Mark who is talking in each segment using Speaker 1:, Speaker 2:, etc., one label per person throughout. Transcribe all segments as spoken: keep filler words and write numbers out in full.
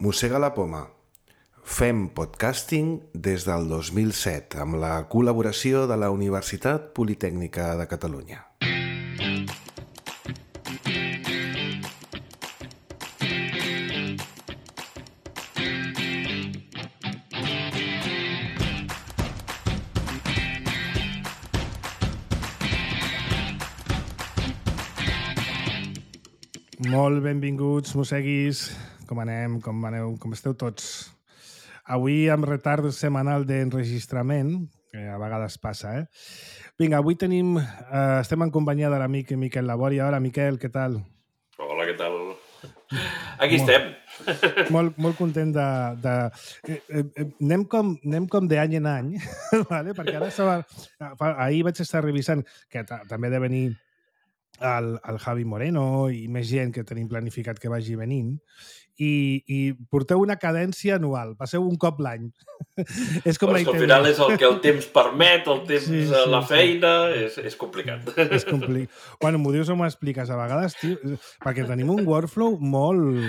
Speaker 1: Mossega la poma. Fem podcasting des del dos mil set amb la col·laboració de la Universitat Politècnica de Catalunya.
Speaker 2: Molt benvinguts, mosseguis. Com anem? Com aneu? Com esteu tots? Avui amb retard setmanal d'enregistrament, que a vegades passa, eh? Vinga, avui tenim... Eh, estem en companyia de l'amic Miquel Laboria. Hola, Miquel, què tal?
Speaker 3: Hola, què tal? Aquí molt, estem.
Speaker 2: Molt, molt content de... de eh, eh, anem com, anem com d'any en any, vale? Perquè ara estava... Ahir vaig estar revisant, que també de venir el, el Javi Moreno i més gent que tenim planificat que vagi venint, i, i porteu una cadència anual, passeu un cop l'any. És com
Speaker 3: pues la al final és el que el temps permet, el temps, sí, sí, la feina, sí. és, és complicat.
Speaker 2: És complicat. Bueno, m'ho dius o m'ho expliques a vegades, tio, perquè tenim un workflow molt...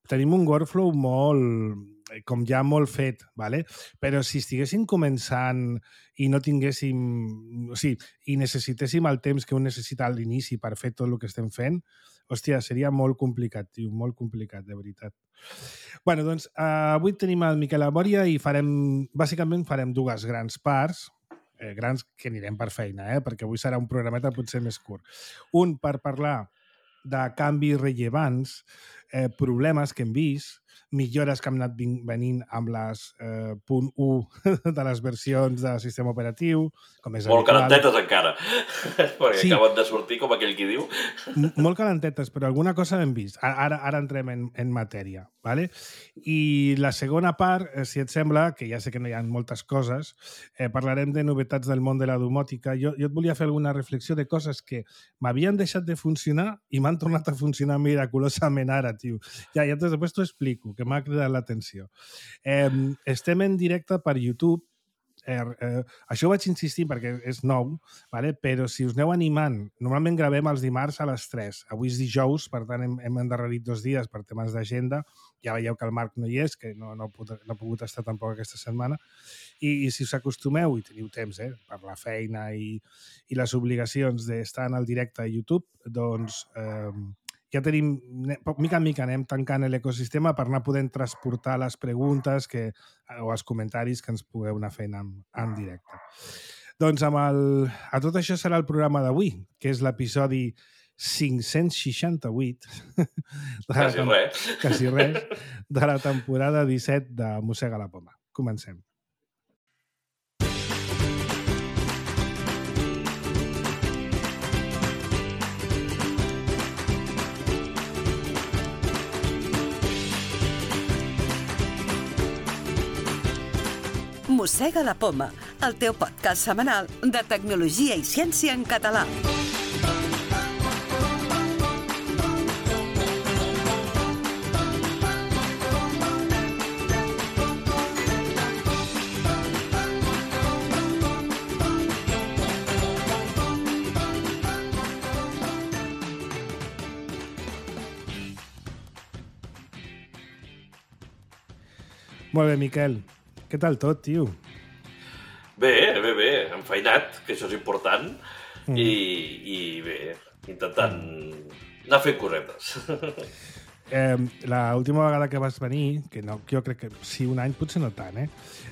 Speaker 2: Tenim un workflow molt... com ja molt fet, ¿vale? Però si estiguéssim començant i no tinguéssim... O sigui, i necessitéssim el temps que un necessita a l'inici per fer tot el que estem fent, hòstia, seria molt complicat, tio, molt complicat, de veritat. Bueno, doncs, uh, avui tenim el Miquel Laboria i farem... Bàsicament farem dues grans parts, eh, grans que anirem per feina, eh? Perquè avui serà un programeta potser més curt. Un per parlar de canvis rellevants, eh, problemes que hem vist, millores que han anat venint amb les eh, punt u de les versions del sistema operatiu, com és
Speaker 3: molt
Speaker 2: habitual.
Speaker 3: Calentetes encara, perquè sí. Acaben de sortir, com aquell qui diu.
Speaker 2: M molt calentetes, però alguna cosa hem vist. Ara, ara entrem en, en matèria. ¿Vale? I la segona part, eh, si et sembla, que ja sé que no hi ha moltes coses, eh, parlarem de novetats del món de la domòtica. Jo, jo et volia fer alguna reflexió de coses que m'havien deixat de funcionar i m'han tornat a funcionar miraculosament ara, tio. Ja, ja després t'ho explico, que m'ha cridat l'atenció. Eh, estem en directe per YouTube. Eh, eh, això ho vaig insistir perquè és nou, vale? Però si us aneu animant, normalment gravem els dimarts a les tres. Avui és dijous, per tant hem, hem endarrerit dos dies per temes d'agenda. Ja veieu que el Marc no hi és, que no, no, pot, no ha pogut estar tampoc aquesta setmana. I, i si us acostumeu, i teniu temps, eh, per la feina i, i les obligacions d'estar en el directe a YouTube, doncs... Eh, ja tenim, mica en mica anem tancant l'ecosistema per anar podent transportar les preguntes que, o els comentaris que ens pugueu anar fent en, en directe. Doncs amb el, a tot això serà el programa d'avui, que és l'episodi cinc-cents seixanta-vuit
Speaker 3: quasi res
Speaker 2: quasi res de la temporada disset de Mossega la poma. Comencem.
Speaker 4: Mossega la poma, el teu podcast setmanal de tecnologia i ciència en català.
Speaker 2: Molt bé, Miquel. Què tal tot, tio?
Speaker 3: Bé, bé, bé. Enfeinat, que això és important. Mm. I, I bé, intentant anar fent cosetes.
Speaker 2: Eh, l'última vegada que vas venir, que no, jo crec que sí, un any, potser no tant, eh?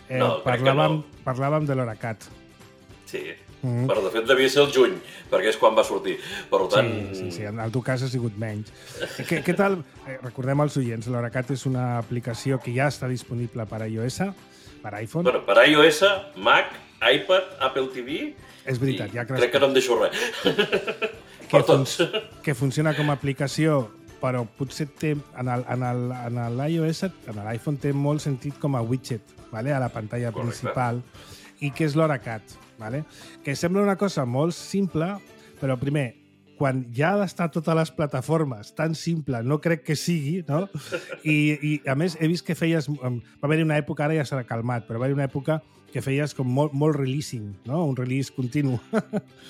Speaker 2: eh
Speaker 3: no,
Speaker 2: parlàvem,
Speaker 3: no.
Speaker 2: parlàvem de l'Horacat.
Speaker 3: Sí. Mm. Però, de fet, devia ser el juny, perquè és quan va sortir. Per tant...
Speaker 2: Sí, sí, sí, en el teu cas ha sigut menys. Què, què tal? Eh, recordem als oients, l'Horacat és una aplicació que ja està disponible per a iOS, per iPhone.
Speaker 3: Bueno, per iOS, Mac, iPad, Apple T V...
Speaker 2: És veritat, ja
Speaker 3: crec que no em deixo res.
Speaker 2: Que, fun que funciona com a aplicació, però potser té, en l'iOS, en l'iPhone té molt sentit com a widget, vale? A la pantalla Correcte. Principal, i que és l'Horacat. Vale? Que sembla una cosa molt simple, però primer, quan ja ha d'estar a totes les plataformes, tan simple, no crec que sigui, no? I, i a més, he vist que feies... Va haver-hi una època, ara ja s'ha calmat, però va haver-hi una època que feies com molt, molt releasing, no? Un release continu.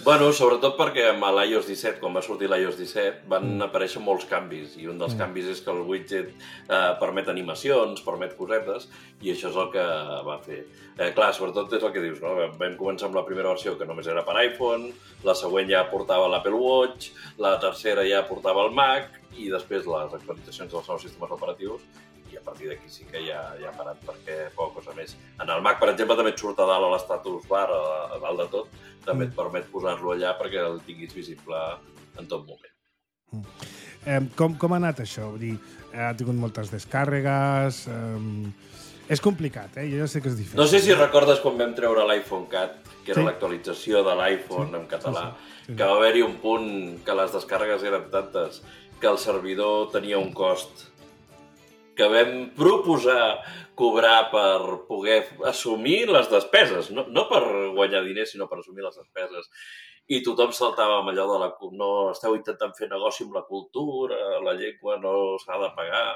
Speaker 3: Bueno, sobretot perquè amb l'iOS disset, quan va sortir l'iOS disset, van mm. aparèixer molts canvis, i un dels mm. canvis és que el widget eh, permet animacions, permet cosetes, i això és el que va fer. Eh, clar, sobretot és el que dius, no? Vam començar amb la primera versió que només era per iPhone, la següent ja portava l'Apple Watch, la tercera ja portava el Mac, i després les actualitzacions dels nous sistemes operatius, i a partir d'aquí sí que ja, ja ha parat, perquè poca cosa més. En el Mac, per exemple, també et surt a dalt a l'estatus bar, a dalt de tot, també et permet posar-lo allà perquè el tinguis visible en tot moment.
Speaker 2: Mm. Eh, com, com ha anat això? Vull dir, ha tingut moltes descàrregues... Eh, és complicat, eh? Jo ja sé que és difícil.
Speaker 3: No sé si recordes quan vam treure l'iPhone Cat, que era
Speaker 2: sí.
Speaker 3: l'actualització de l'iPhone sí. en català, sí, sí. Sí. que va haver-hi un punt que les descàrregues eren tantes que el servidor tenia un cost que vam proposar cobrar per poder assumir les despeses, no, no per guanyar diners, sinó per assumir les despeses. I tothom saltava amb allò de la... No esteu intentant fer negoci amb la cultura, la llengua no s'ha de pagar...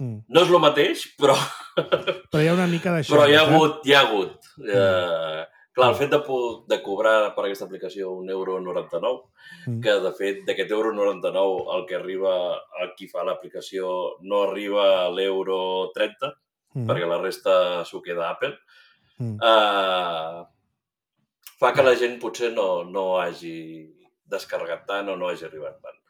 Speaker 3: Mm. No és el mateix, però...
Speaker 2: Però hi ha una mica d'això.
Speaker 3: Però hi ha hagut, hi ha hagut. Mm. Eh, clar, el fet de, de cobrar per aquesta aplicació un euro noranta-nou, mm. que de fet d'aquest euro noranta-nou el que arriba a qui fa l'aplicació no arriba a l'euro trenta, mm. perquè la resta s'ho queda Apple, mm. eh, fa que la gent potser no, no hagi descarregat tant o no hagi arribat tant.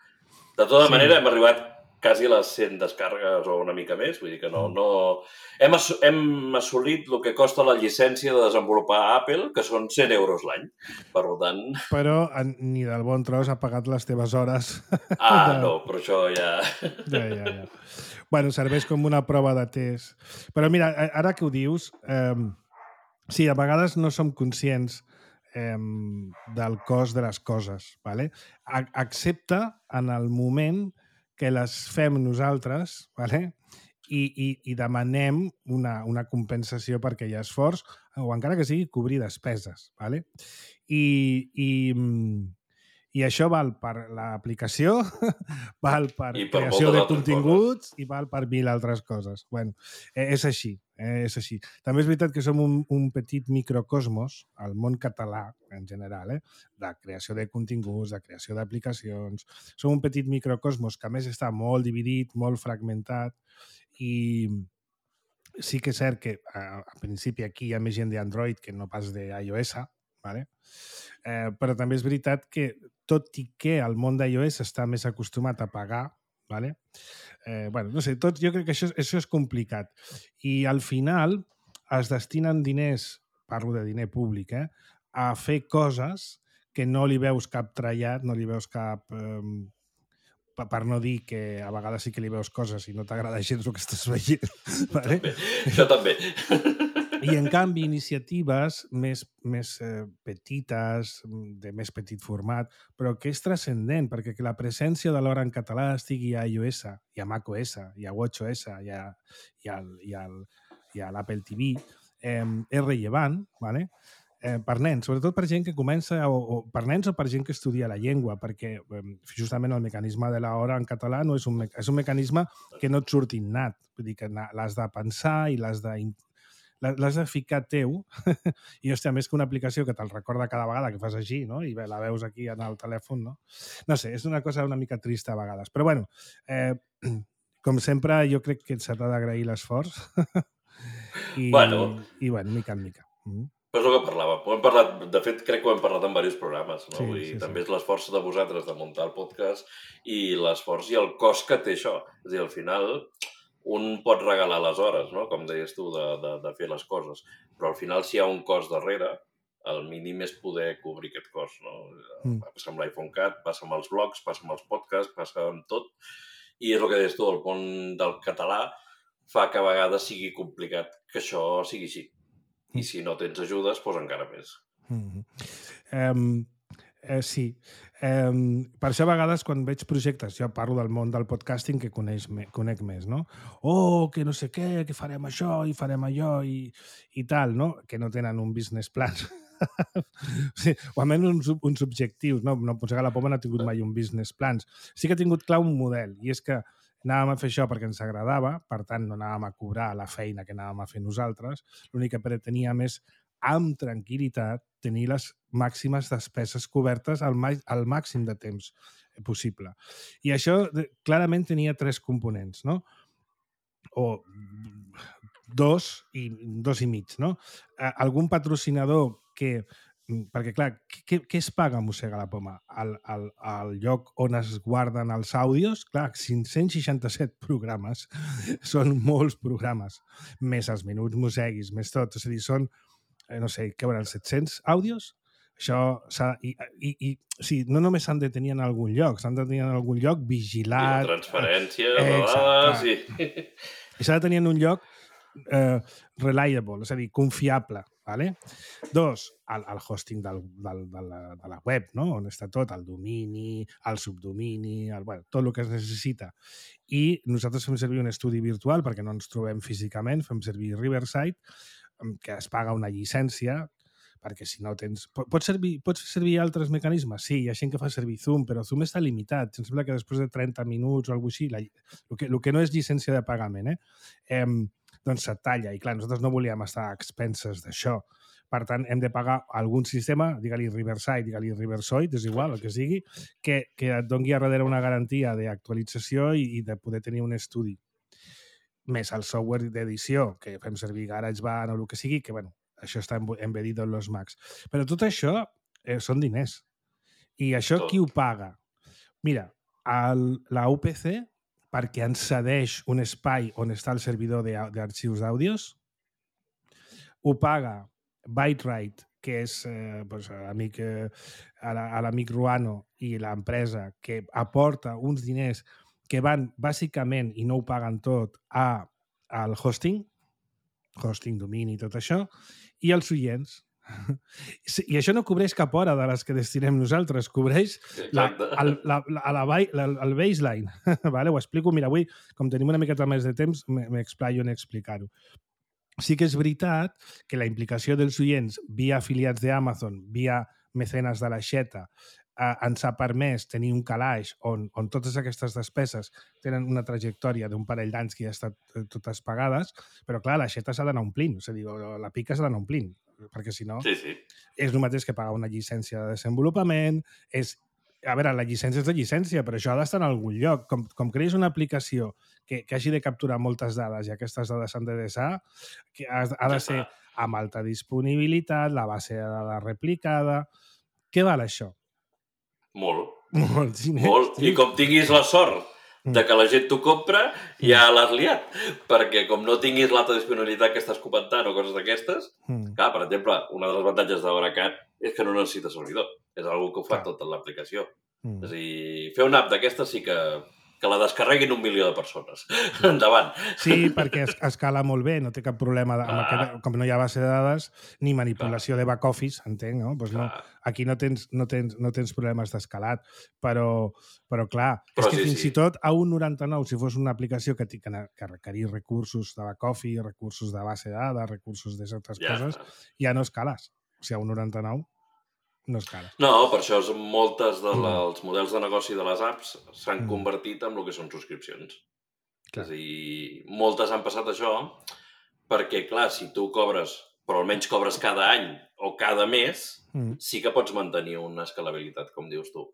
Speaker 3: De tota sí. manera, hem arribat quasi les cent descàrregues o una mica més, vull dir que no... no... Hem, ass hem assolit el que costa la llicència de desenvolupar a Apple, que són cent euros l'any, per tant...
Speaker 2: Però ni del bon tros ha pagat les teves hores.
Speaker 3: Ah, de... no, però això ja...
Speaker 2: Ja, ja, ja. Bueno, serveix com una prova de test. Però mira, ara que ho dius, eh, sí, a vegades no som conscients eh, del cost de les coses, ¿vale? A excepte en el moment que les fem nosaltres, ¿vale? I, i, i demanem una, una compensació perquè hi ha esforç, o encara que sigui cobrir despeses. ¿Vale? I, i, i això val per l'aplicació, val per, per creació de continguts coses. I val per mil altres coses. Bueno, és així, eh, és així. També és veritat que som un, un petit microcosmos al món català, en general, eh? De creació de continguts, de creació d'aplicacions. Som un petit microcosmos que a més està molt dividit, molt fragmentat i sí que és cert que a, a principi aquí hi ha més gent d'Android que no pas d'iOS, ¿vale? eh, però també és veritat que tot i que el món d'iOS està més acostumat a pagar, ¿vale? eh, bueno, no sé, tot, jo crec que això, això és complicat. I al final es destinen diners, parlo de diner públic, eh, a fer coses que no li veus cap trallat, no li veus cap... Eh, per no dir que a vegades sí que li veus coses i no t'agrada gens el que estàs veient. Vale?
Speaker 3: També. Això també.
Speaker 2: I, en canvi, iniciatives més, més eh, petites, de més petit format, però que és transcendent, perquè que la presència de l'hora en català estigui a iOS, i a macOS, i a watchOS, i a, i al, i al, i a l'Apple T V, eh, és rellevant, ¿vale? Eh, per nens, sobretot per gent que comença, o, o per nens o per gent que estudia la llengua, perquè eh, justament el mecanisme de l'hora en català no és un, me és un mecanisme que no et surt innat, vull dir que l'has de pensar i l'has de, l'has de ficar teu, i hòstia, més que una aplicació que te'l recorda cada vegada que fas així, no? I la veus aquí en el telèfon, no? No sé, és una cosa una mica trista a vegades, però bueno, eh, com sempre jo crec que s'ha d'agrair l'esforç i,
Speaker 3: bueno.
Speaker 2: i bueno, mica en mica. Mm.
Speaker 3: Però és el que parlàvem. Ho hem parlat, de fet, crec que ho hem parlat en diversos programes. No?
Speaker 2: Sí,
Speaker 3: Vull dir,
Speaker 2: sí,
Speaker 3: també
Speaker 2: sí.
Speaker 3: és l'esforç de vosaltres de muntar el podcast i l'esforç i el cost que té això. És a dir, al final, un pot regalar les hores, no? Com deies tu, de, de, de fer les coses. Però al final, si hi ha un cost darrere, el mínim és poder cobrir aquest cost. No? Mm. Passa amb l'iPhone Cat, passa amb els blogs, passa amb els podcasts, passa amb tot. I és el que deies tu, el món del català fa que a vegades sigui complicat que això sigui així. I si no tens ajudes, doncs encara més.
Speaker 2: Mm-hmm. um, eh, sí. Um, per això a vegades quan veig projectes, jo parlo del món del podcasting que coneix me, conec més, no? Oh, que no sé què, que farem això i farem allò i, i tal, no? Que no tenen un business plan sí, o almenys uns, uns objectius. No, no Mossega la Poma no ha tingut mai un business plans. Sí que ha tingut clar un model, i és que anàvem a fer això perquè ens agradava, per tant no anàvem a cobrar la feina que anàvem a fer nosaltres, l'únic que preteníem és, amb tranquil·litat, tenir les màximes despeses cobertes al, al màxim de temps possible. I això clarament tenia tres components, no? O dos i, dos i mig, no? Algun patrocinador que... Perquè, clar, què, què es paga a Mossega la Poma? Al, al, al lloc on es guarden els àudios? Clar, cinc-cents seixanta-set programes. Són molts programes. Més els minuts mosseguis, més tot. És a dir, són, no sé, què veurà, set-cents àudios? Això s'ha... I, i, i sí, no només s'han de tenir en algun lloc, s'han de tenir en algun lloc vigilat...
Speaker 3: I la transferència de dades... I...
Speaker 2: I s'ha de tenir en un lloc eh, reliable, és a dir, confiable. Vale? Dos, el, el hosting del, del, de, la, de la web, no? On està tot, el domini, el subdomini, el, bueno, tot el que es necessita. I nosaltres fem servir un estudi virtual perquè no ens trobem físicament, fem servir Riverside, que es paga una llicència, perquè si no tens... Pots servir, pots servir altres mecanismes? Sí, hi ha gent que fa servir Zoom, però Zoom està limitat. Em sembla que després de trenta minuts o alguna cosa així, la, el, que, el que no és llicència de pagament, eh? eh doncs se't talla. I clar, nosaltres no volíem estar a expenses d'això. Per tant, hem de pagar algun sistema, digue-li Riverside, digue-li Riversoid, és igual, el que sigui, que, que et doni a darrere una garantia d'actualització i, i de poder tenir un estudi. Més el software d'edició, que fem servir GarageBand o el que sigui, que, bueno, això està embedido en los Macs. Però tot això eh, són diners. I això tot. Qui ho paga? Mira, el, la U P C, perquè ens cedeix un espai on està el servidor d'arxius d'àudios, ho paga ByteWrite, que és eh, doncs, l'amic eh, a l'amic Ruano i l'empresa que aporta uns diners que van bàsicament, i no ho paguen tot, a, al hosting, hosting, domini, tot això, i els oients. I això no cobreix cap hora de les que destinem nosaltres, cobreix la, el, la, la, la, la, el baseline. Vale? Ho explico. Mira, avui, com tenim una miqueta més de temps, m'explaio en explicar-ho. Sí que és veritat que la implicació dels oients via afiliats d'Amazon, via mecenes de l'aixeta, eh, ens ha permès tenir un calaix on, on totes aquestes despeses tenen una trajectòria d'un parell d'anys que ja estan totes pagades, però clar, l'aixeta s'ha d'anar omplint, és a dir, la pica s'ha d'anar omplint, perquè si no
Speaker 3: sí, sí.
Speaker 2: és el mateix que pagar una llicència de desenvolupament, és... A veure, la llicència és de llicència, però això ha d'estar en algun lloc. Com, com creïs una aplicació que, que hagi de capturar moltes dades i aquestes dades s'han de desar, que ha, ha de ser amb alta disponibilitat, la base de dades replicada... Què val això?
Speaker 3: Molt.
Speaker 2: Molt, sí,
Speaker 3: Molt.
Speaker 2: Sí.
Speaker 3: I com tinguis la sort de que la gent t'ho compra, ja l'has liat. Perquè com no tinguis l'alta disponibilitat que estàs comentant o coses d'aquestes, mm. clar, per exemple, una de les avantatges de Oracat és que no necessita servidor. És una cosa que ho fa tota l'aplicació. Mm. És a dir, fer una app d'aquesta sí que, que la descarreguin un milió de persones. Endavant.
Speaker 2: Sí, perquè es, escala molt bé, no té cap problema. De, amb aquest, com no hi ha base de dades, ni manipulació Clar. de back-office, entenc, no? Pues no aquí no tens, no tens, no tens problemes d'escalat. Però, però clar, però és que sí, fins sí. i tot a un noranta-nou, si fos una aplicació que, que, que requerís recursos de back-office, recursos de base de dades, recursos de certes ja. coses, ja no escales. O sigui, a un noranta-nou no és cara.
Speaker 3: No, per això moltes dels mm. models de negoci de les apps s'han mm. convertit en el que són subscripcions. Clar. És a dir, moltes han passat això perquè, clar, si tu cobres, però almenys cobres cada any o cada mes, mm. sí que pots mantenir una escalabilitat, com dius tu.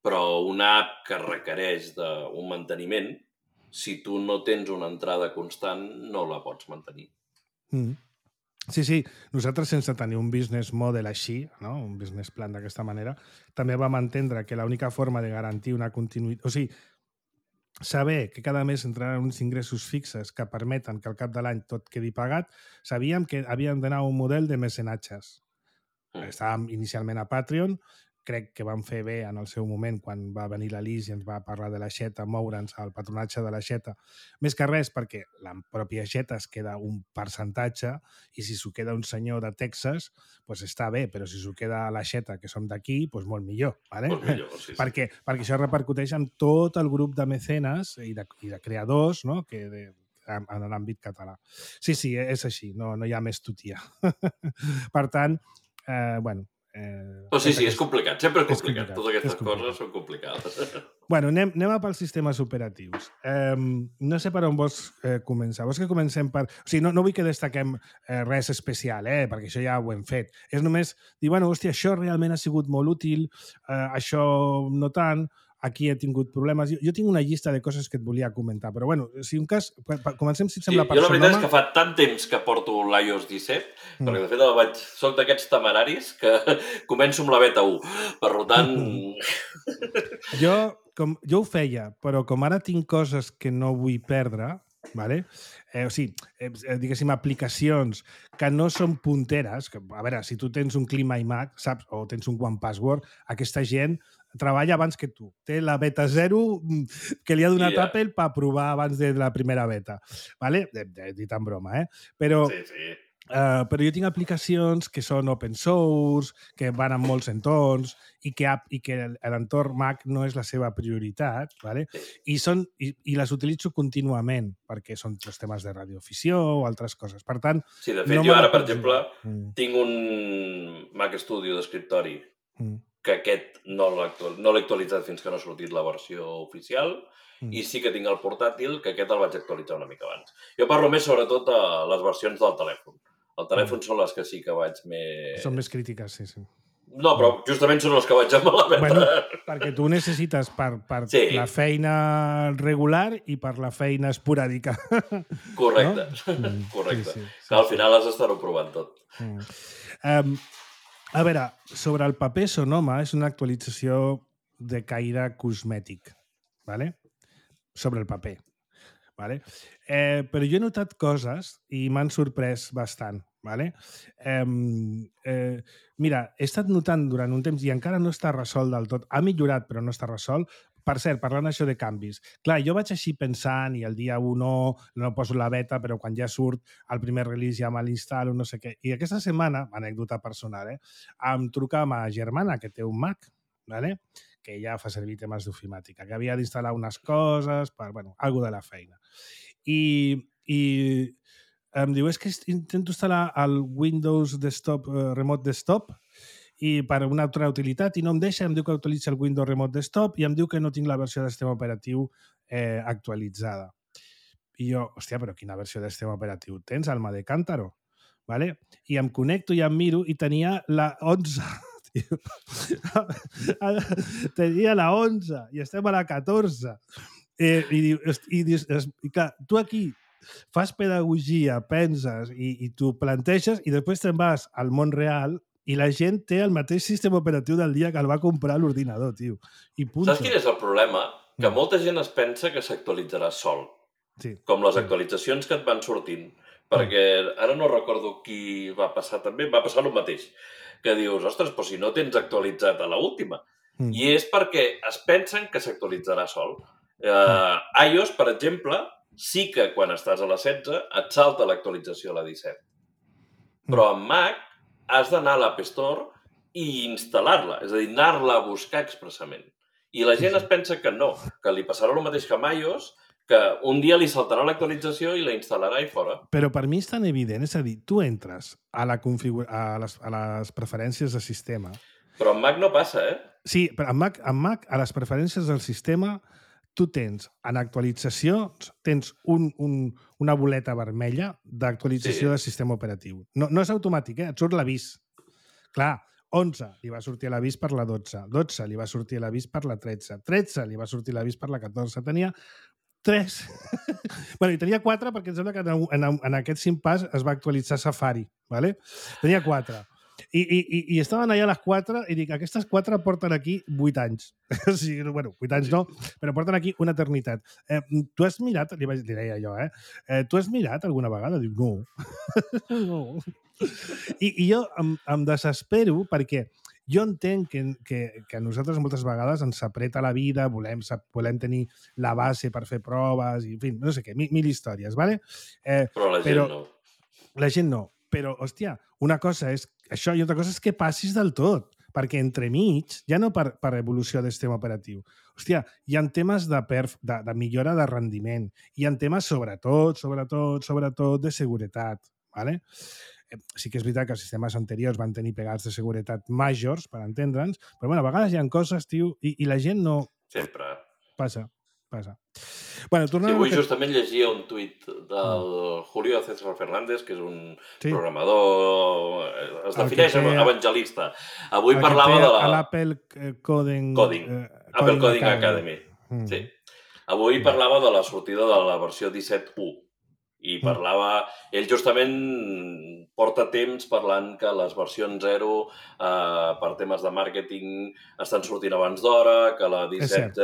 Speaker 3: Però una app que requereix d'un manteniment, si tu no tens una entrada constant, no la pots mantenir.
Speaker 2: Mm. Sí, sí, nosaltres sense tenir un business model així, no? Un business plan d'aquesta manera, també vam entendre que l'única forma de garantir una continuïtat... O sigui, saber que cada mes entraran uns ingressos fixes que permeten que al cap de l'any tot quedi pagat, sabíem que havíem d'anar a un model de mecenatges. Estàvem inicialment a Patreon, crec que vam fer bé en el seu moment quan va venir la Lis i ens va parlar de l'aixeta, moure'ns al patronatge de l'aixeta. Més que res perquè la pròpia aixeta es queda un percentatge i si s'ho queda un senyor de Texas, doncs està bé, però si s'ho queda l'aixeta, que som d'aquí, doncs molt millor. ¿vale?
Speaker 3: Molt millor, sí, sí.
Speaker 2: Perquè, perquè això repercuteix en tot el grup de mecenes i de, i de creadors, no? que de, en l'àmbit català. Sí, sí, és així, no, no hi ha més tutia. Per tant, Eh, bueno, eh,
Speaker 3: oh, sí, sí, és complicat, sempre és complicat.
Speaker 2: És complicat
Speaker 3: Totes aquestes
Speaker 2: és complicat.
Speaker 3: coses són complicades.
Speaker 2: Bueno, anem, anem a pels sistemes operatius. Eh, no sé per on vols eh, començar. Vols que comencem per... O sigui, no, no vull que destaquem eh, res especial, eh, perquè això ja ho hem fet. És només dir, bueno, hòstia, això realment ha sigut molt útil, eh, això no tant, aquí he tingut problemes. Jo, jo tinc una llista de coses que et volia comentar, però bueno, si un cas... Comencem, si et
Speaker 3: Sí,
Speaker 2: sembla, per
Speaker 3: jo la veritat
Speaker 2: Sonoma.
Speaker 3: és que fa tant temps que porto l'i o ess disset,
Speaker 2: Mm.
Speaker 3: perquè de fet el vaig... soc d'aquests temeraris que començo amb la beta u. Per tant...
Speaker 2: Jo, com, jo ho feia, però com ara tinc coses que no vull perdre, vale? eh, o sigui, eh, diguéssim, aplicacions que no són punteres, que, a veure, si tu tens un Clima iMac, saps, o tens un One Password, aquesta gent treballa abans que tu. Té la beta zero que li ha donat
Speaker 3: Yeah.
Speaker 2: Apple per provar abans de la primera beta. Vale? He dit en broma, eh? Però...
Speaker 3: Sí, sí.
Speaker 2: Uh, però jo tinc aplicacions que són open source, que van en molts entorns i que, i que l'entorn Mac no és la seva prioritat, ¿vale?
Speaker 3: Sí.
Speaker 2: I, són, i, i les utilitzo contínuament perquè són els temes de radioafició o altres coses. Per tant,
Speaker 3: Sí, de fet,
Speaker 2: no
Speaker 3: jo
Speaker 2: me la
Speaker 3: ara, per
Speaker 2: pots
Speaker 3: exemple,
Speaker 2: jugar. Mm.
Speaker 3: tinc un Mac Studio d'escriptori
Speaker 2: Mm.
Speaker 3: que aquest no l'he actual... no l'he actualitzat fins que no ha sortit la versió oficial,
Speaker 2: Mm.
Speaker 3: i sí que tinc el portàtil, que aquest el vaig actualitzar una mica abans. Jo parlo més sobretot de les versions del telèfon. El telèfon mm. són les que sí que vaig més...
Speaker 2: Són més crítiques, sí, sí.
Speaker 3: No, però justament són els que vaig amb la beta.
Speaker 2: Bueno, perquè tu necessites per, per
Speaker 3: Sí.
Speaker 2: la feina regular i per la feina esporàdica.
Speaker 3: Correcte,
Speaker 2: No? Mm,
Speaker 3: correcte.
Speaker 2: sí, sí, sí,
Speaker 3: que al
Speaker 2: sí.
Speaker 3: final has d'estar-ho provant tot.
Speaker 2: Mm. Um, a veure, sobre el paper Sonoma és una actualització de caire cosmètic, ¿vale? Sobre el paper. ¿Vale? Eh, però jo he notat coses i m'han sorprès bastant. ¿Vale? Eh, eh, mira, he estat notant durant un temps i encara no està resolt del tot. Ha millorat, però no està resolt. Per cert, parlant això de canvis. Clar, jo vaig així pensant i el dia u no, no poso la beta, però quan ja surt el primer release ja me l'instal·lo, no sé què. I aquesta setmana, anècdota personal, eh, em truca ma germana, que té un Mac, ¿vale? Que ja fa servir temes d'ofimàtica, que havia d'instal·lar unes coses per, bueno, algo de la feina. I, i em diu, és que intento instal·lar el Windows Desktop, eh, Remote Desktop, i per una altra utilitat, i no em deixa, em diu que utilitza el Windows Remote Desktop i em diu que no tinc la versió de sistema operatiu eh, actualitzada. I jo, hòstia, però quina versió de sistema operatiu tens, Alma de Cántaro? ¿Vale? I em connecto i em miro i tenia la onze. Tenia la onze i estem a la catorze. Eh, i, i, i, i clar, tu aquí fas pedagogia, penses i, i tu planteges i després te'n vas al món real i la gent té el mateix sistema operatiu del dia que el va comprar a l'ordinador, tio. I punto.
Speaker 3: Saps quin és el problema? Que molta gent es pensa que s'actualitzarà sol.
Speaker 2: Sí.
Speaker 3: Com les actualitzacions que et van sortint. Perquè ara no recordo qui va passar també, va passar el mateix. Que dius, ostres, però si no tens actualitzat a l'última. Mm. I és perquè es pensen que s'actualitzarà sol. Uh, iOS, per exemple, sí que quan estàs a la setze et salta l'actualització a la disset. Però en Mac has d'anar a l'App Store i instal·lar-la, és a dir, anar-la a buscar expressament. I la gent es pensa que no, que li passarà el mateix que amb iOS, que un dia li saltarà l'actualització i la instal·larà i fora.
Speaker 2: Però per mi és tan evident, és a dir, tu entres a, la configura... a, les, a les preferències de sistema.
Speaker 3: Però en Mac no passa, eh?
Speaker 2: Sí, però en Mac, en Mac a les preferències del sistema, tu tens, en actualitzacions, tens un, un, una boleta vermella d'actualització sí. del sistema operatiu. No, no és automàtic, eh? Et surt l'avís. Clar, onze li va sortir l'avís per la dotze, dotze li va sortir l'avís per la tretze, tretze li va sortir l'avís per la catorze, tenia tres. bueno, i tenia quatre perquè em sembla que en, en, en aquest cinc pas es va actualitzar Safari, ¿vale? Tenia quatre. I, i, i estaven allà a les quatre i dic, aquestes quatre porten aquí vuit anys. o sigui, bueno, vuit anys no, però porten aquí una eternitat. Eh, tu has mirat, li, vaig, li deia jo, eh? eh? Tu has mirat alguna vegada? Dic, no. no. I, I jo em, em desespero perquè jo entenc que, que, que a nosaltres moltes vegades ens apreta la vida, volem, volem tenir la base per fer proves, i en fi, no sé què, mil, mil històries, ¿vale? Eh,
Speaker 3: però la gent
Speaker 2: però,
Speaker 3: no.
Speaker 2: La gent no. Però, hòstia, una cosa és això i altra cosa és que passis del tot, perquè entremig, ja no per, per evolució del sistema operatiu, hòstia, hi ha temes de, perf, de, de millora de rendiment, hi ha temes sobretot, sobretot, sobretot de seguretat, ¿vale? Eh, sí que és veritat que els sistemes anteriors van tenir pegats de seguretat majors, per entendre'ns, però bueno, a vegades hi ha coses, tio, i, i la gent no...
Speaker 3: Sempre.
Speaker 2: Passa, passa. Bueno,
Speaker 3: Sí,
Speaker 2: tornant
Speaker 3: avui
Speaker 2: a...
Speaker 3: justament llegia un tuit del Julio César Fernández, que és un
Speaker 2: Sí.
Speaker 3: programador, eh, es
Speaker 2: El que
Speaker 3: defineix
Speaker 2: té-
Speaker 3: evangelista. Avui
Speaker 2: el que
Speaker 3: parlava
Speaker 2: té
Speaker 3: de
Speaker 2: a
Speaker 3: la...
Speaker 2: l'Apple eh, Coding...
Speaker 3: Coding.
Speaker 2: eh,
Speaker 3: Apple Coding Academy.
Speaker 2: Mm.
Speaker 3: Sí. Avui parlava de la sortida de la versió disset u i parlava... Ell justament porta temps parlant que les versions zero eh, per temes de màrqueting estan sortint abans d'hora, que la disset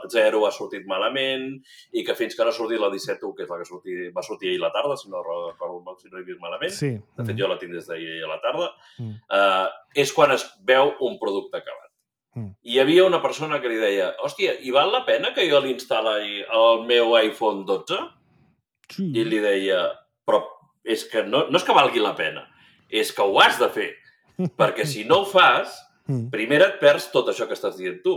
Speaker 3: zero ha sortit malament i que fins que no ha sortit la disset u, que és la que sortir, va sortir ahir a la tarda, si no recordo mal, si no he vist malament,
Speaker 2: Sí.
Speaker 3: de fet jo la tinc des d'ahir a la tarda,
Speaker 2: Mm.
Speaker 3: eh, és quan es veu un producte acabat.
Speaker 2: Mm.
Speaker 3: I hi havia una persona que li deia, hòstia, i val la pena que jo l'instal·li al meu iPhone dotze?
Speaker 2: Sí.
Speaker 3: I li deia, però és que no, no és que valgui la pena, és que ho has de fer. Perquè si no ho fas,
Speaker 2: Mm.
Speaker 3: primera et perds tot això que estàs dient tu.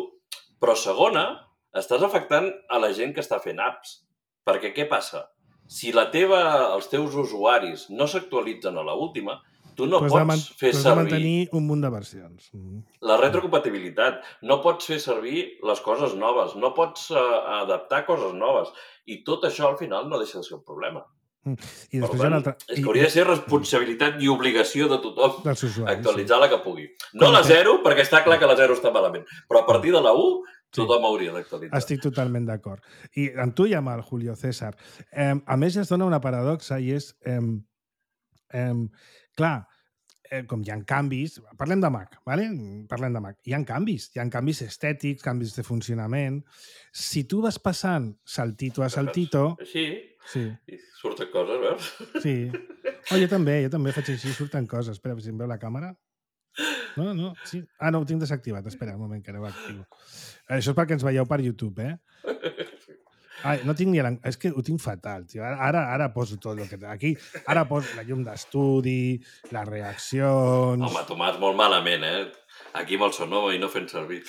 Speaker 3: Però segona, estàs afectant a la gent que està fent apps. Perquè què passa? Si la teva, els teus usuaris no s'actualitzen a l'última, tu no
Speaker 2: Pues
Speaker 3: pots
Speaker 2: de man-
Speaker 3: fer
Speaker 2: pues de
Speaker 3: servir
Speaker 2: mantenir un munt de versions. Mm.
Speaker 3: la retrocompatibilitat. No pots fer servir les coses noves, no pots uh, adaptar coses noves. I tot això al final no deixa de ser un problema.
Speaker 2: Mm. I
Speaker 3: Per
Speaker 2: després hi ha
Speaker 3: tant,
Speaker 2: una altra...
Speaker 3: és
Speaker 2: i-
Speaker 3: que hauria de ser responsabilitat i obligació de tothom
Speaker 2: dels usuaris.
Speaker 3: actualitzar la que pugui. No
Speaker 2: Com
Speaker 3: la
Speaker 2: que-
Speaker 3: zero, perquè està clar que la zero està malament, però a partir de la u
Speaker 2: Sí.
Speaker 3: tothom hauria d'actualitzar.
Speaker 2: Estic totalment d'acord. I amb tu i amb el Julio César. Eh, a més, es dona una paradoxa i és... Eh, eh, clar, eh, com hi ha canvis... Parlem de Mac, ¿vale? Parlem de Mac. Hi ha canvis. Hi ha canvis estètics, canvis de funcionament. Si tu vas passant saltito a saltito...
Speaker 3: Així,
Speaker 2: Sí,
Speaker 3: i surten coses, veus?
Speaker 2: sí. Oh, jo també, jo també faig així, surten coses. Espera, si em veu la càmera. No, no, sí. Ah, no, ho tinc desactivat. Espera un moment, que ara ho activo. Això és perquè ens veieu per YouTube, eh? Ai, no tinc ni... l'en- És que ho tinc fatal, tio. Ara, ara, ara poso tot el que... Aquí, ara poso la llum d'estudi, les reaccions...
Speaker 3: Home, Tomàs, molt malament, eh? Aquí amb el Sonoma i no fent servir.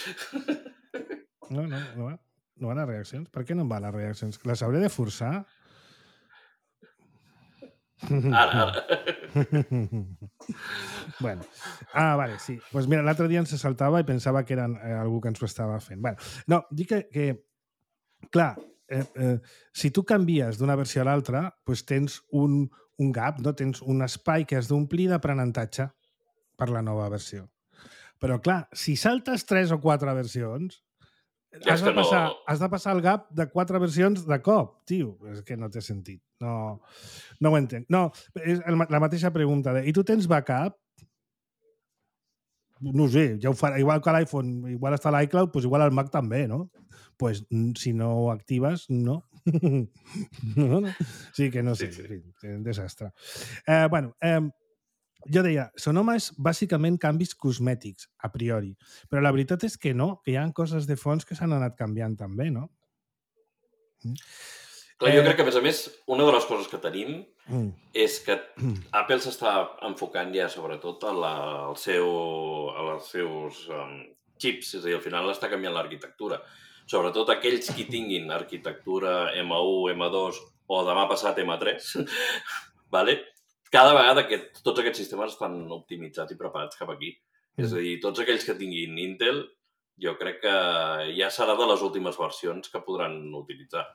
Speaker 2: No, no, no va. No van les reaccions? Per què no em van les reaccions? Les hauré de forçar?
Speaker 3: Ara, ara.
Speaker 2: Bueno. Ah, vale, sí. Doncs pues mira, l'altre dia ens saltava i pensava que eren eh, algú que ens ho estava fent. Bueno, no, dic que, que clar, eh, eh, si tu canvies d'una versió a l'altra, pues tens un, un gap, no? Tens un espai que has d'omplir d'aprenentatge per la nova versió. Però clar, si saltes tres o quatre versions,
Speaker 3: Ja
Speaker 2: has
Speaker 3: és
Speaker 2: de,
Speaker 3: que no-
Speaker 2: passar, has de passar el gap de quatre versions de cop, tio. És que no té sentit. No, no ho entenc. No, és el, ma- la mateixa pregunta. De, I tu tens backup? No ho sé, ja ho farà. Igual que l'iPhone, igual està a l'iCloud, doncs igual al Mac també, no? Pues mm, si no ho actives, no. no, no. Sí que no sé,
Speaker 3: Sí, sí.
Speaker 2: sí, sí, un desastre. Eh, bueno, eh, jo deia, Sonoma és bàsicament canvis cosmètics, a priori. Però la veritat és que no, que hi ha coses de fons que s'han anat canviant també, no?
Speaker 3: Clar, jo
Speaker 2: Eh,
Speaker 3: crec que, a més a més, una de les coses que tenim
Speaker 2: Mm.
Speaker 3: és que Apple s'està enfocant ja sobretot a la, al seu, als seus um, chips, és a dir, al final està canviant l'arquitectura. Sobretot aquells qui tinguin arquitectura M u, M dos o demà passat M tres, vale? Cada vegada que tots aquests sistemes estan optimitzats i preparats cap aquí. Mm. És a dir, tots aquells que tinguin Intel, jo crec que ja serà de les últimes versions que podran utilitzar.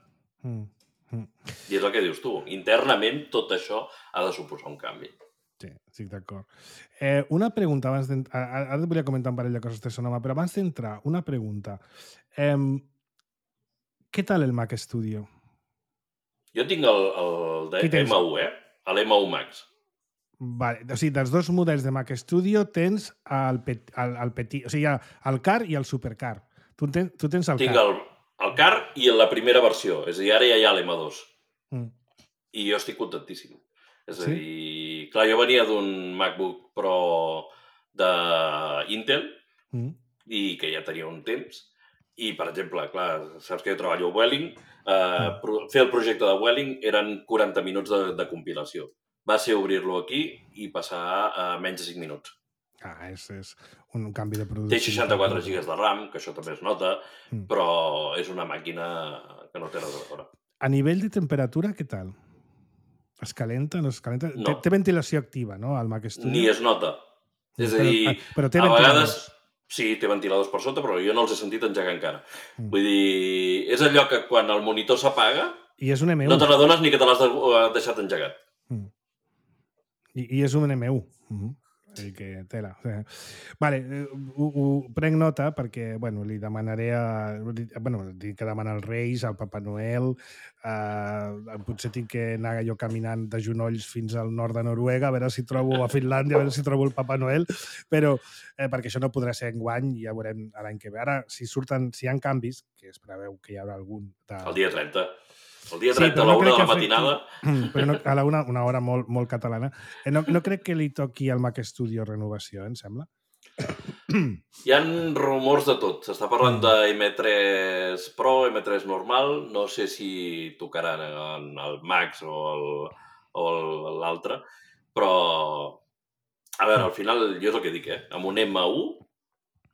Speaker 2: Mm. Mm.
Speaker 3: I és el que dius tu. Internament, tot això ha de suposar un canvi.
Speaker 2: Sí, estic d'acord. Eh, una pregunta abans d'entrar... Ara ara et volia comentar un parell de coses de Sonoma, però abans d'entrar, una pregunta. Eh, què tal el Mac Studio?
Speaker 3: Jo tinc el, el de
Speaker 2: Qui tens?
Speaker 3: M u, eh? L'M u Max.
Speaker 2: Vale. O sigui, dels dos models de Mac Studio tens el, pet, el, el petit... O sigui, hi ha el Car i el Supercar. Tu, ten, tu tens el
Speaker 3: Tinc
Speaker 2: Car.
Speaker 3: el, el Car i la primera versió. És a dir, ara ja hi ha l'M dos.
Speaker 2: Mm.
Speaker 3: I jo estic contentíssim. És a
Speaker 2: Sí?
Speaker 3: dir, clar, jo venia d'un MacBook Pro d'Intel
Speaker 2: Mm.
Speaker 3: i que ja tenia un temps. I, per exemple, clar, saps que jo treballo a Welling, eh, pro- fer el projecte de Welling eren quaranta minuts de, de compilació. Va ser obrir-lo aquí i passar a menys de cinc minuts.
Speaker 2: Ah, és, és un canvi de producció.
Speaker 3: Té seixanta-quatre gigas de RAM, que això també es nota,
Speaker 2: Mm.
Speaker 3: però és una màquina que no té res a veure.
Speaker 2: A nivell de temperatura, què tal? Es calenta? No es calenta?
Speaker 3: No.
Speaker 2: Té, té ventilació activa, no, al Mac Studio?
Speaker 3: Ni es nota. És a
Speaker 2: Però,
Speaker 3: dir,
Speaker 2: però té
Speaker 3: a vegades...
Speaker 2: ventiladors.
Speaker 3: Sí, té ventiladors per sota, però jo no els he sentit engegar encara.
Speaker 2: Mm.
Speaker 3: Vull dir, és allò que quan el monitor s'apaga
Speaker 2: I és un M U.
Speaker 3: no te n'adones ni que te l'has de- deixat engegat.
Speaker 2: Mm. I, I és un M U. Mm-hmm. I que tela. Vale, ho, ho prenc nota perquè, bueno, li demanaré a... Bueno, dic que demana als Reis, al Papa Noel, eh, potser tinc que anar jo caminant de genolls fins al nord de Noruega, a veure si trobo a Finlàndia, a veure si trobo el Papa Noel, però eh, perquè això no podrà ser enguany, ja veurem l'any que ve. Ara, si surten, si hi ha canvis, que es preveu que hi haurà algun... De...
Speaker 3: El dia trenta. El dia
Speaker 2: Sí,
Speaker 3: trenta
Speaker 2: però
Speaker 3: a la
Speaker 2: no
Speaker 3: una
Speaker 2: crec
Speaker 3: de la
Speaker 2: que
Speaker 3: matinada...
Speaker 2: afecti- Però no, a la una, una hora molt, molt catalana. Eh, No, no crec que li toqui al Mac Studio renovació, eh, em sembla.
Speaker 3: Hi ha rumors de tot. S'està parlant de M tres Pro, M tres normal. No sé si tocaran el Max o el- o el- l'altre, però... A veure, al final, jo és el que dic, eh? Amb un M u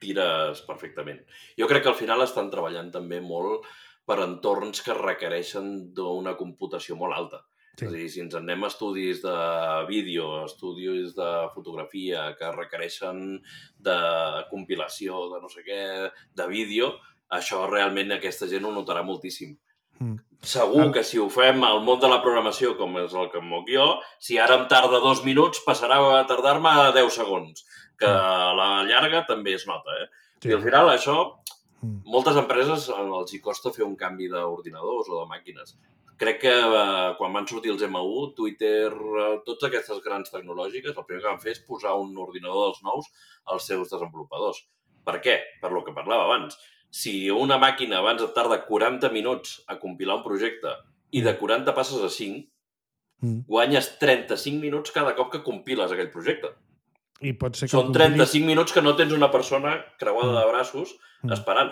Speaker 3: tires perfectament. Jo crec que al final estan treballant també molt per entorns que requereixen d'una computació molt alta.
Speaker 2: Sí.
Speaker 3: És a dir, si ens anem a estudis de vídeo, estudis de fotografia que requereixen de compilació, de no sé què, de vídeo, això realment aquesta gent ho notarà moltíssim.
Speaker 2: Mm.
Speaker 3: Segur
Speaker 2: El-
Speaker 3: que si ho fem al món de la programació, com és el que em moc jo, si ara em tarda dos minuts, passarà a tardar-me deu segons, que a la llarga també es nota, eh?
Speaker 2: Sí.
Speaker 3: I al final això,
Speaker 2: Mm.
Speaker 3: moltes empreses els hi costa fer un canvi d'ordinadors o de màquines. Crec que eh, quan van sortir els M u, Twitter, eh, totes aquestes grans tecnològiques, el primer que van fer és posar un ordinador dels nous als seus desenvolupadors. Per què? Per lo que parlava abans. Si una màquina abans et tarda quaranta minuts a compilar un projecte i de quaranta passes a cinc,
Speaker 2: Mm.
Speaker 3: guanyes trenta-cinc minuts cada cop que compiles aquell projecte.
Speaker 2: I pot ser que
Speaker 3: Són
Speaker 2: el compilis-
Speaker 3: trenta-cinc minuts que no tens una persona creuada
Speaker 2: Mm.
Speaker 3: de braços
Speaker 2: Mm.
Speaker 3: esperant.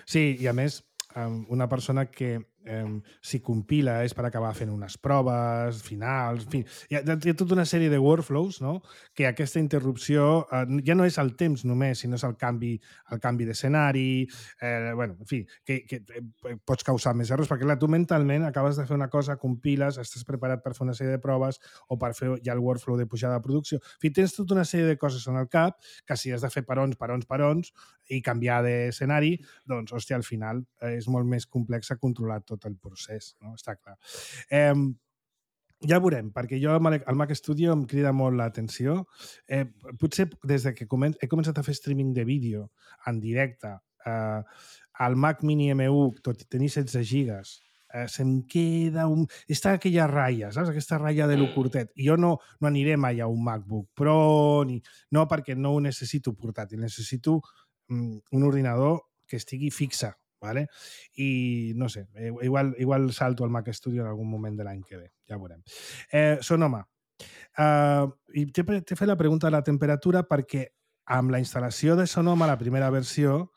Speaker 2: Sí, i a més, um, una persona que um, si compila és per acabar fent unes proves finals, en fi, hi ha, hi ha tota una sèrie de workflows, no?, que aquesta interrupció uh, ja no és el temps només, sinó és el canvi, el canvi d'escenari, eh, bueno, en fi, que, que eh, pots causar més errors, perquè clar, tu mentalment acabes de fer una cosa, compiles, estàs preparat per fer una sèrie de proves o per fer ja el workflow de pujada de producció. En fi, tens tota una sèrie de coses en el cap que si has de fer perons, perons, perons i canviar d'escenari, doncs, hòstia, al final eh, és molt més complex a controlar tot el procés, no? Està clar. Eh, ja veurem, perquè jo al Mac Studio em crida molt l'atenció. Eh, potser des de que comen he començat a fer streaming de vídeo en directe, eh, al Mac Mini M u, tot i tenir setze gigas, eh, se'm queda un... Està aquella ratlla, saps? Aquesta ratlla de lo curtet. I jo no, no aniré mai a un MacBook Pro, ni... no perquè no ho necessito portàtil, necessito mm, un ordinador que estigui fixe, ¿vale? I no sé, igual, igual salto al Mac Studio en algun moment de l'any que ve, ja veurem. Eh, Sonoma, uh, i t'he fet la pregunta de la temperatura perquè amb la instal·lació de Sonoma, la primera versió,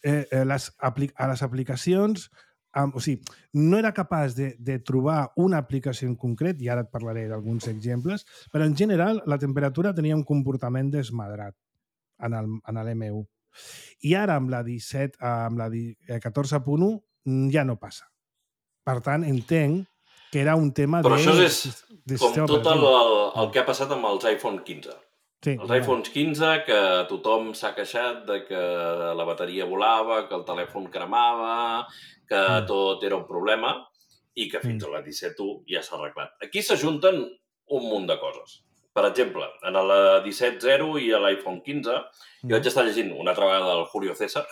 Speaker 2: eh, eh, les a les aplicacions, um, o sigui, no era capaç de, de trobar una aplicació en concret, i ara et parlaré d'alguns exemples, però en general la temperatura tenia un comportament desmadrat en el, en l'M u. I ara amb la disset, amb la catorze punt u ja no passa. Per tant, entenc que era un tema
Speaker 3: Però
Speaker 2: de...
Speaker 3: això és
Speaker 2: de
Speaker 3: com
Speaker 2: sistema
Speaker 3: tot el,
Speaker 2: operatiu.
Speaker 3: el que ha passat amb els iPhone quinze.
Speaker 2: Sí,
Speaker 3: Els iPhones quinze, que tothom s'ha queixat de que la bateria volava, que el telèfon cremava, que
Speaker 2: Mm.
Speaker 3: tot era un problema, i que fins a la disset punt u ja s'ha arreglat. Aquí s'ajunten un munt de coses. Per exemple, en la disset punt zero i a l'iPhone quinze, jo vaig estar llegint una altra vegada el Julio César,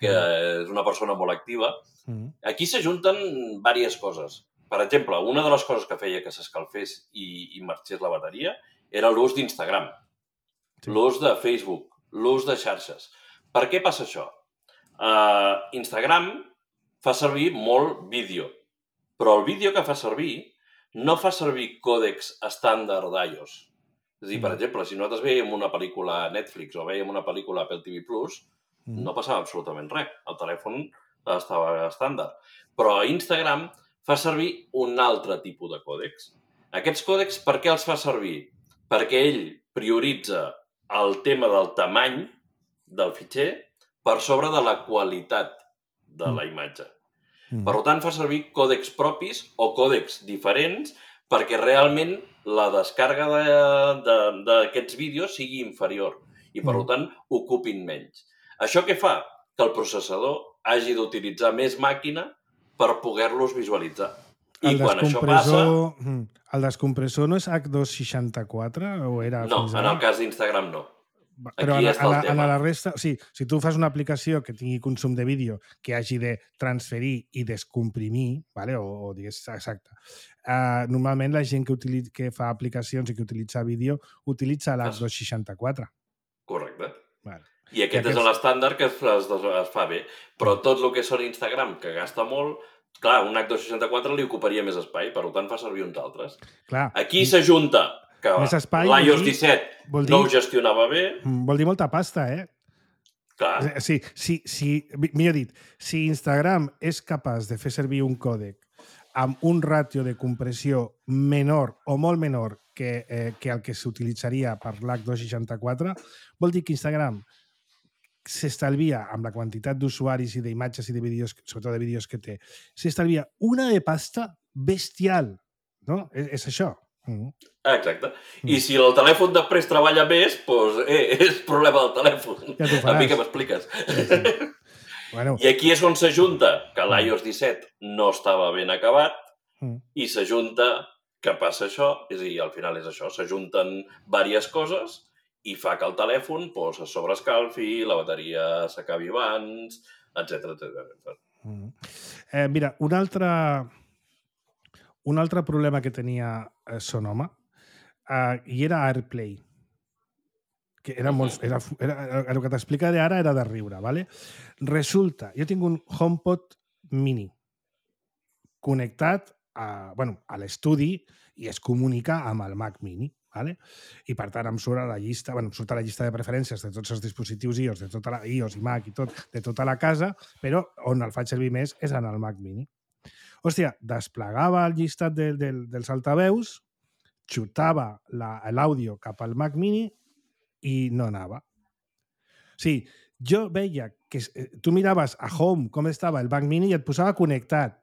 Speaker 3: que és una persona molt activa.
Speaker 2: Mm.
Speaker 3: Aquí s'ajunten diverses coses. Per exemple, una de les coses que feia que s'escalfés i, i marxés la bateria era l'ús d'Instagram,
Speaker 2: Sí.
Speaker 3: l'ús de Facebook, l'ús de xarxes. Per què passa això? Uh, Instagram fa servir molt vídeo, però el vídeo que fa servir no fa servir còdecs estàndard d'iOS. És a dir, per
Speaker 2: Mm.
Speaker 3: exemple, si nosaltres veiem una pel·lícula a Netflix o veiem una pel·lícula a Apple T V Plus,
Speaker 2: Mm.
Speaker 3: no passava absolutament res. El telèfon estava estàndard. Però Instagram fa servir un altre tipus de còdecs. Aquests còdecs, per què els fa servir? Perquè ell prioritza el tema del tamany del fitxer per sobre de la qualitat de la imatge.
Speaker 2: Mm.
Speaker 3: Per tant, fa servir còdecs propis o còdecs diferents perquè realment la descàrrega d'aquests vídeos sigui inferior i, per mm. tant, ocupin menys. Això què fa? Que el processador hagi d'utilitzar més màquina per poder-los visualitzar. I
Speaker 2: el
Speaker 3: quan això passa...
Speaker 2: El descompressor no és H dos seixanta-quatre? O era
Speaker 3: no,
Speaker 2: fins
Speaker 3: en
Speaker 2: ara?
Speaker 3: el cas d'Instagram no.
Speaker 2: Però
Speaker 3: Aquí
Speaker 2: en,
Speaker 3: està
Speaker 2: en,
Speaker 3: el
Speaker 2: la, en
Speaker 3: tema.
Speaker 2: la resta... O sigui, si tu fas una aplicació que tingui consum de vídeo que hagi de transferir i descomprimir, vale? o, o digués, exacte, uh, normalment la gent que, utilitza, que fa aplicacions i que utilitza vídeo utilitza l'H dos seixanta-quatre.
Speaker 3: Correcte.
Speaker 2: Vale.
Speaker 3: I aquest I és l'estàndard que es, es, es fa bé. Però tot el que són Instagram, que gasta molt, clar, un H dos seixanta-quatre li ocuparia més espai, per tant fa servir uns altres.
Speaker 2: Clar.
Speaker 3: Aquí s'ajunta que l'i o ess disset dir, no ho gestionava bé.
Speaker 2: Vol dir molta pasta, eh?
Speaker 3: Clar.
Speaker 2: Sí, sí, sí, millor dit, si Instagram és capaç de fer servir un còdec amb un ràtio de compressió menor o molt menor que, eh, que el que s'utilitzaria per l'H dos seixanta-quatre, vol dir que Instagram s'estalvia, amb la quantitat d'usuaris i d'imatges i de vídeos, sobretot de vídeos que té, s'estalvia una de pasta bestial, no? És, és això. Mm.
Speaker 3: Exacte. Mm. I si el telèfon després treballa més, doncs eh, és problema del telèfon.
Speaker 2: Ja
Speaker 3: a mi que m'expliques.
Speaker 2: Sí, sí. Bueno.
Speaker 3: I aquí és on s'ajunta que l'i o ess disset no estava ben acabat
Speaker 2: mm.
Speaker 3: i s'ajunta que passa això, és a dir, al final és això, s'ajunten diverses coses i fa que el telèfon pues, es sobrescalfi, la bateria s'acabi abans, etcètera etcètera.
Speaker 2: Mm. Eh, mira, un altre, un altre problema que tenia eh, Sonoma eh, i era AirPlay. Que era molt, era, era, el que t'explica d'ara era de riure, ¿vale? Resulta, jo tinc un HomePod mini connectat a, bueno, a l'estudi i es comunica amb el Mac mini. Vale? I per tant em surt a la llista, bueno, em surt a la llista de preferències de tots els dispositius iOS, de tota la iOS i Mac i tot, de tota la casa, però on el faig servir més és en el Mac mini. Hòstia, desplegava el llistat de, de, dels altaveus, xutava l'àudio cap al Mac mini i no anava. O sigui, jo veia que tu miraves a Home com estava el Mac mini i et posava connectat.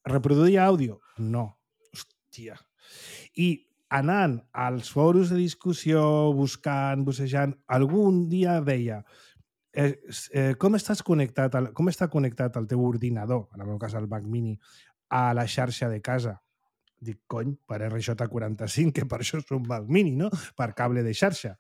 Speaker 2: Reproduïa àudio? No. Hòstia. I anant als fòrums de discussió, buscant, bussejant, algun dia veia eh, eh, com estàs connectat, al, com està connectat el teu ordinador, en el meu cas el Mac mini, a la xarxa de casa. Dic, cony, per R J quaranta-cinc, que per això és un Mac mini, no? Per cable de xarxa.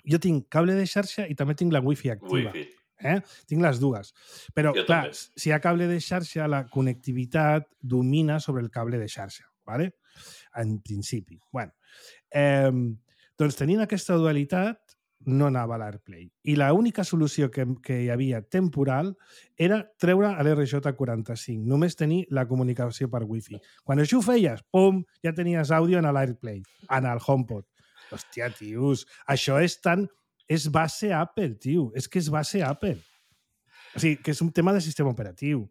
Speaker 2: Jo tinc cable de xarxa i també tinc la Wi-Fi activa.
Speaker 3: Wi-Fi.
Speaker 2: Eh? Tinc les dues. Però,
Speaker 3: jo
Speaker 2: clar,
Speaker 3: també.
Speaker 2: si hi ha cable de xarxa, la connectivitat domina sobre el cable de xarxa, ¿vale? En principi. Bueno, eh, doncs tenint aquesta dualitat no anava a l'AirPlay. I l'única solució que, que hi havia temporal era treure l'R J quaranta-cinc, només tenir la comunicació per Wi-Fi. Quan això ho feies, pum, ja tenies àudio en l'AirPlay, en el HomePod. Hòstia, tios, això és tan... És base Apple, tio. És que és base Apple. O sigui, que és un tema de sistema operatiu.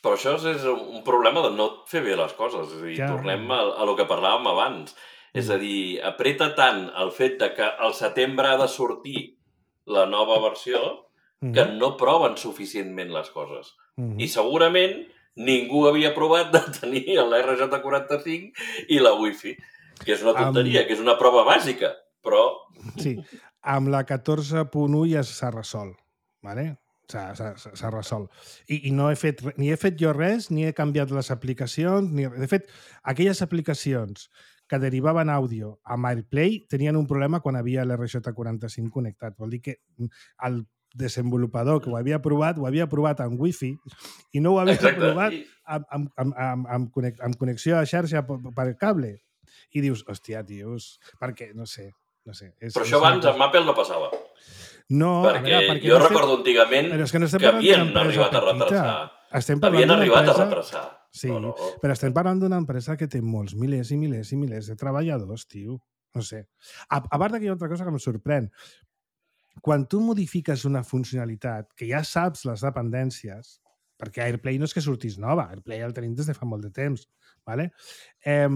Speaker 3: Però això és un problema de no fer bé les coses. És a dir, ja. tornem a, a lo que parlàvem abans. Mm. És a dir, apreta tant el fet de que al setembre ha de sortir la nova versió mm. que no proven suficientment les coses. Mm. I segurament ningú havia provat de tenir l'R J quaranta-cinc i la Wi-Fi, que és una tonteria, um... que és una prova bàsica, però...
Speaker 2: Sí, amb la catorze punt u ja s'ha resolt, ¿vale? S'ha resolt. I, i no he fet, ni he fet jo res, ni he canviat les aplicacions, ni... De fet, aquelles aplicacions que derivaven àudio amb AirPlay tenien un problema quan havia l'R J quaranta-cinc connectat. Vol dir que el desenvolupador que ho havia provat, ho havia provat amb Wi-Fi i no ho havia Exacte. provat amb, amb, amb, amb, amb, connex, amb connexió a xarxa per, per cable. I dius, hòstia, tios, perquè, no sé, no sé. És,
Speaker 3: però això abans amb Apple no passava.
Speaker 2: No,
Speaker 3: perquè,
Speaker 2: a veure, perquè
Speaker 3: jo
Speaker 2: no
Speaker 3: recordo
Speaker 2: estem...
Speaker 3: antigament
Speaker 2: que, no
Speaker 3: que havien arribat a retrasar.
Speaker 2: Estem
Speaker 3: havien arribat
Speaker 2: empresa...
Speaker 3: a retrasar.
Speaker 2: Sí,
Speaker 3: no, no.
Speaker 2: però estem parlant d'una empresa que té molts milers i milers i milers de treballadors, tio. No sé. A, a part que hi ha altra cosa que em sorprèn. Quan tu modifiques una funcionalitat que ja saps les dependències, perquè AirPlay no és que sortís nova, AirPlay el tenim des de fa molt de temps, ¿vale? Eh,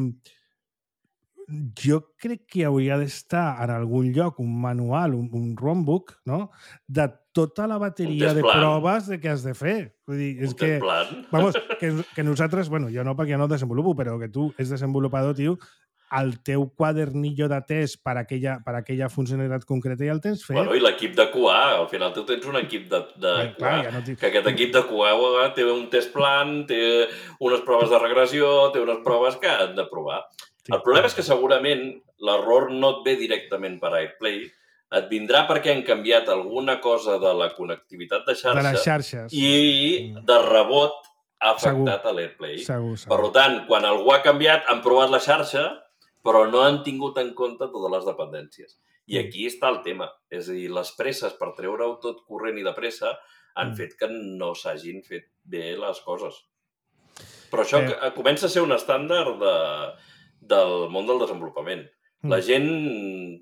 Speaker 2: jo crec que hauria d'estar en algun lloc un manual, un, un rombook, no?, de tota la bateria de proves de què has de fer. Vull dir, és que, vamos, que, que nosaltres, bueno, jo no perquè jo no desenvolupo, però que tu ets desenvolupador, tio, el teu quadernillo de test per aquella, per aquella funcionalitat concreta ja el tens fet.
Speaker 3: Bueno, i l'equip de Q A, al final tu tens un equip de, de bueno, Q A, clar, ja no que aquest equip de Q A té un test plan, té unes proves de regressió, té unes proves que han de provar. Sí. El problema és que segurament l'error no et ve directament per AirPlay, et vindrà perquè han canviat alguna cosa de la connectivitat de xarxa,
Speaker 2: de les xarxes
Speaker 3: i de rebot ha afectat a l'AirPlay.
Speaker 2: Segur, segur.
Speaker 3: Per tant, quan algú ha canviat, han provat la xarxa, però no han tingut en compte totes les dependències. I aquí està el tema. És a dir, les presses per treure-ho tot corrent i de pressa han fet que no s'hagin fet bé les coses. Però això eh. comença a ser un estàndard de, del món del desenvolupament. La gent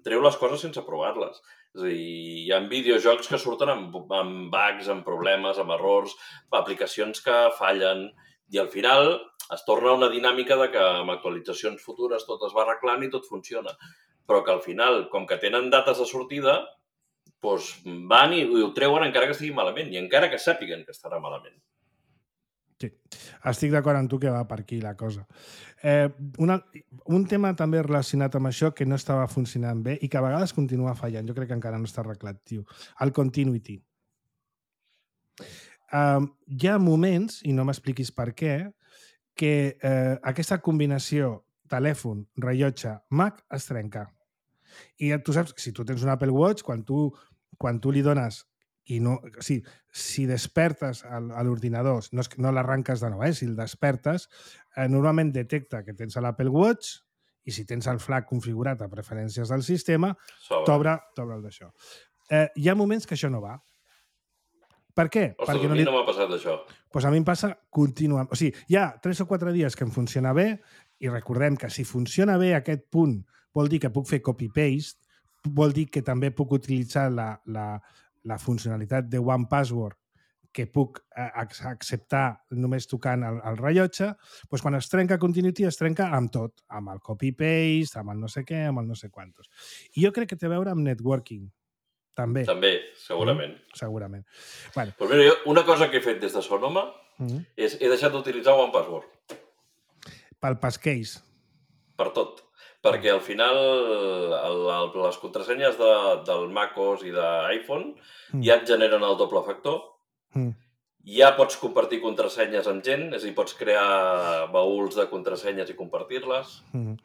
Speaker 3: treu les coses sense provar-les. És a dir, hi ha videojocs que surten amb, amb bugs, amb problemes, amb errors, aplicacions que fallen, i al final es torna una dinàmica de que amb actualitzacions futures tot es va arreglant i tot funciona. Però que al final, com que tenen dates de sortida, doncs van i ho treuen encara que estigui malament, i encara que sàpiguen que estarà malament.
Speaker 2: Sí, estic d'acord amb tu que va per aquí la cosa. Eh, una, un tema també relacionat amb això que no estava funcionant bé i que a vegades continua fallant, jo crec que encara no està arreglat, tio. El continuity. Eh, hi ha moments, i no m'expliquis per què, que eh, aquesta combinació telèfon, rellotge, Mac es trenca. I tu saps, si tu tens un Apple Watch, quan tu, quan tu li dones i no, o sigui, si despertes a l'ordinador, no, no l'arranques de nou, eh? Si el despertes, eh, normalment detecta que tens l'Apple Watch i si tens el flag configurat a preferències del sistema, t'obre el d'això. Eh, hi ha moments que això no va. Per què?
Speaker 3: Ostres,
Speaker 2: Perquè
Speaker 3: a
Speaker 2: no
Speaker 3: mi
Speaker 2: li...
Speaker 3: no m'ha passat això.
Speaker 2: Pues a mi em passa contínuament. O sigui, hi ha tres o quatre dies que em funciona bé i recordem que si funciona bé aquest punt vol dir que puc fer copy-paste, vol dir que també puc utilitzar la, la, la funcionalitat de One Password que puc acceptar només tocant el, el rellotge, doncs quan es trenca Continuity es trenca amb tot, amb el copy-paste, amb el no sé què, amb el no sé quantos. I jo crec que té a veure amb networking, també.
Speaker 3: També, segurament.
Speaker 2: Mm, segurament. Bueno.
Speaker 3: Però mira, jo una cosa que he fet des de Sonoma mm. és he deixat d'utilitzar One Password.
Speaker 2: Pel passcase.
Speaker 3: Per tot. Perquè al final el, el, les contrasenyes de, del macOS i d'iPhone mm. ja et generen el doble factor. Mm. Ja pots compartir contrasenyes amb gent, és a dir, pots crear baúls de contrasenyes i compartir-les.
Speaker 2: Mm.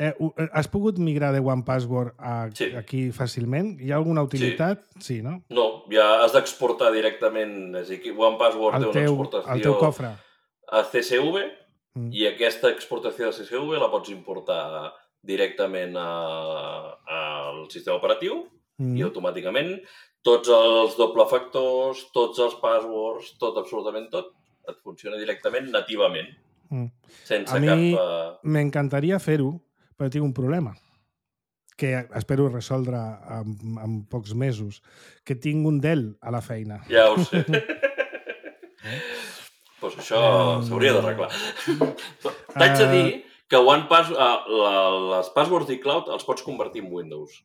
Speaker 2: Eh, has pogut migrar de One Password a, sí. aquí fàcilment? Hi ha alguna utilitat? Sí, sí, no?
Speaker 3: No, ja has d'exportar directament. És a dir, One Password
Speaker 2: el
Speaker 3: té
Speaker 2: teu,
Speaker 3: una exportació
Speaker 2: el teu cofre.
Speaker 3: A C S V mm. i aquesta exportació de C S V la pots importar directament al sistema operatiu mm. i automàticament tots els doble factors, tots els passwords, tot, absolutament tot, et funciona directament nativament. Mm. Sense
Speaker 2: a mi
Speaker 3: cap...
Speaker 2: Uh... m'encantaria fer-ho, però tinc un problema que espero resoldre en, en pocs mesos, que tinc un Dell a la feina.
Speaker 3: Ja ho sé. Pues això um... s'hauria d'arreglar. T'haig de dir que One Pass, uh, la, les passwords d'iCloud els pots convertir en Windows.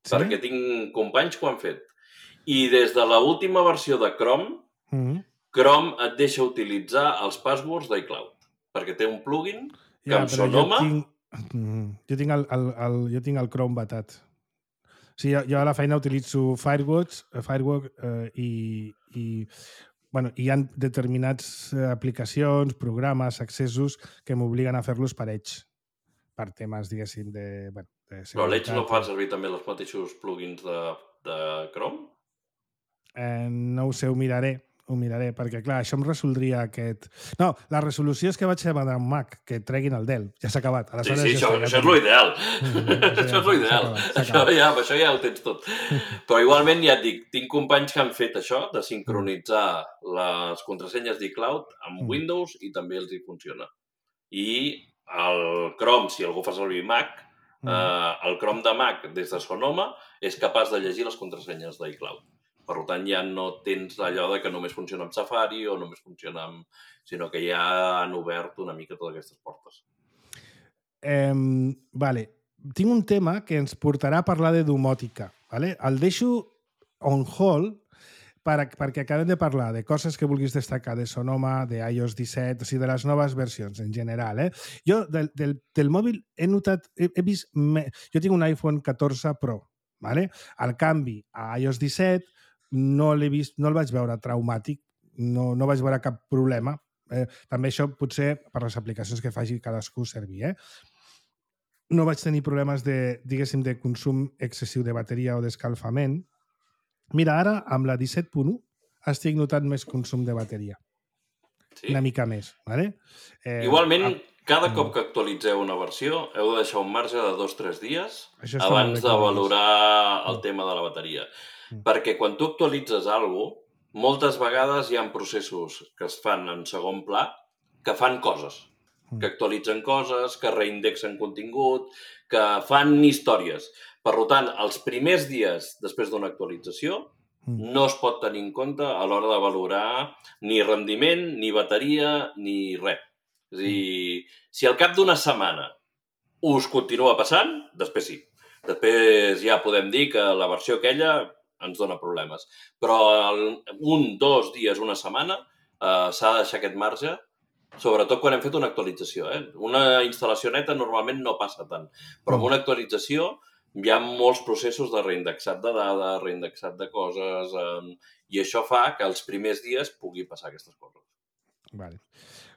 Speaker 3: Sí? Perquè tinc companys que ho han fet. I des de l'última versió de Chrome, mm-hmm. Chrome et deixa utilitzar els passwords d'iCloud. Perquè té un plugin que ja, amb Sonoma...
Speaker 2: Jo tinc, jo tinc, el, el, el, jo tinc el Chrome batat. O sigui, jo, jo a la feina utilitzo Firewatch, Firewatch eh, i... i Bueno, hi ha determinats aplicacions, programes, accessos que m'obliguen a fer-los per Edge, per temes, diguéssim, de... Bueno, de
Speaker 3: Però l'Edge no fa servir també els mateixos plugins de, de Chrome?
Speaker 2: Eh, no ho sé, ho miraré, ho miraré, perquè, clar, això em resoldria aquest... No, la resolució és que vaig demanar un Mac, que treguin el Dell. Ja s'ha acabat.
Speaker 3: Sí, sí, això, això és l'ideal. Això és l'ideal. Això, ja, això ja ho tens tot. Però igualment, ja et dic, tinc companys que han fet això, de sincronitzar les contrasenyes d'iCloud amb mm. Windows i també els hi funciona. I el Chrome, si algú fa servir Mac, mm. eh, el Chrome de Mac des de Sonoma és capaç de llegir les contrasenyes d'iCloud. Per tant, ja no tens allò de que només funciona amb Safari o només funciona amb... sinó que ja han obert una mica totes aquestes portes.
Speaker 2: Eh, vale. tinc un tema que ens portarà a parlar de domòtica. ¿Vale? El deixo on hold per, perquè acabem de parlar de coses que vulguis destacar de Sonoma, de i O S disset, o sigui, de les noves versions en general. Eh? Jo del, del, del mòbil he notat, he, he vist... Me... Jo tinc un iPhone catorze Pro. ¿Vale? El canvi a i O S disset no l'he vist, no el vaig veure traumàtic, no, no vaig veure cap problema. Eh, també això potser per les aplicacions que faci cadascú servir. Eh? No vaig tenir problemes de, diguéssim, de consum excessiu de bateria o d'escalfament. Mira, ara, amb la disset punt u, estic notant més consum de bateria. Sí? Una mica més, ¿vale?
Speaker 3: Eh, Igualment, a... cada cop que actualitzeu una versió, heu de deixar un marge de dos o tres dies abans de valorar el tema de la bateria. Mm. Perquè quan tu actualitzes alguna cosa, moltes vegades hi ha processos que es fan en segon pla que fan coses, que actualitzen coses, que reindexen contingut, que fan històries. Per tant, els primers dies després d'una actualització no es pot tenir en compte a l'hora de valorar ni rendiment, ni bateria, ni res. És a dir, si al cap d'una setmana us continua passant, després sí. Després ja podem dir que la versió aquella ens dona problemes. Però un, dos dies, una setmana, eh, s'ha de deixar aquest marge, sobretot quan hem fet una actualització. Eh? Una instal·lació neta normalment no passa tant, però amb una actualització hi ha molts processos de reindexat de dades, reindexat de coses, eh, i això fa que els primers dies pugui passar aquestes coses.
Speaker 2: Vale.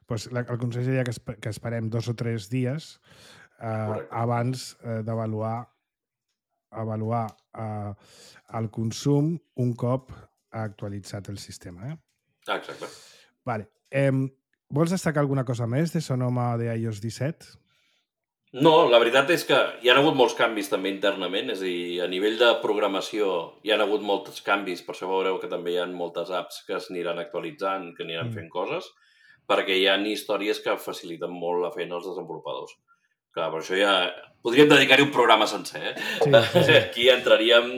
Speaker 2: Pues el consell seria que, esp que esperem dos o tres dies eh, abans eh, d'avaluar avaluar eh, el consum un cop ha actualitzat el sistema. Eh?
Speaker 3: Exacte.
Speaker 2: Vale. Eh, vols destacar alguna cosa més de Sonoma de i O S disset?
Speaker 3: No, la veritat és que hi ha hagut molts canvis també internament, és a dir, a nivell de programació hi ha hagut molts canvis, per això veureu que també hi ha moltes apps que s'aniran actualitzant, que aniran mm. fent coses, perquè hi ha històries que faciliten molt la feina als desenvolupadors. Clar, per això ja podríem dedicar-hi un programa sencer, eh? Sí, sí, sí. Aquí entraríem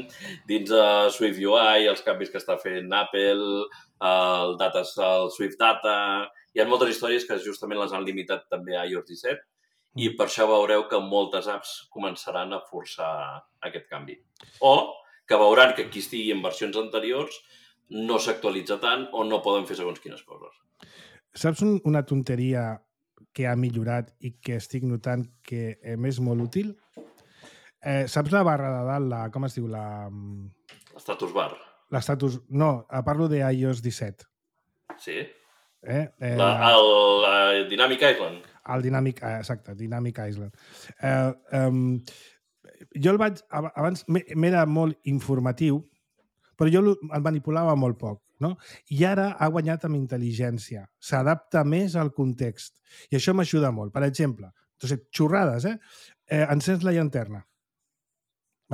Speaker 3: dins de SwiftUI, els canvis que està fent Apple, el, data, el Swift Data... Hi ha moltes històries que justament les han limitat també a i O S disset i per això veureu que moltes apps començaran a forçar aquest canvi. O que veuran que qui estigui en versions anteriors no s'actualitza tant o no poden fer segons quines coses.
Speaker 2: Saps un, una tonteria que ha millorat i que estic notant que és molt útil? Eh, saps la barra de dalt, la, com es diu? La...
Speaker 3: L'status bar.
Speaker 2: L'status... No, parlo de i O S disset.
Speaker 3: Sí?
Speaker 2: Eh? Eh,
Speaker 3: la, el, la Dynamic Island.
Speaker 2: El Dynamic, eh, exacte, Dynamic Island. Eh, um, jo el vaig... Abans m'era molt informatiu, però jo el manipulava molt poc. No? I ara ha guanyat amb intel·ligència. S'adapta més al context. I això m'ajuda molt. Per exemple, entonces, xorrades, eh? eh encens la llanterna.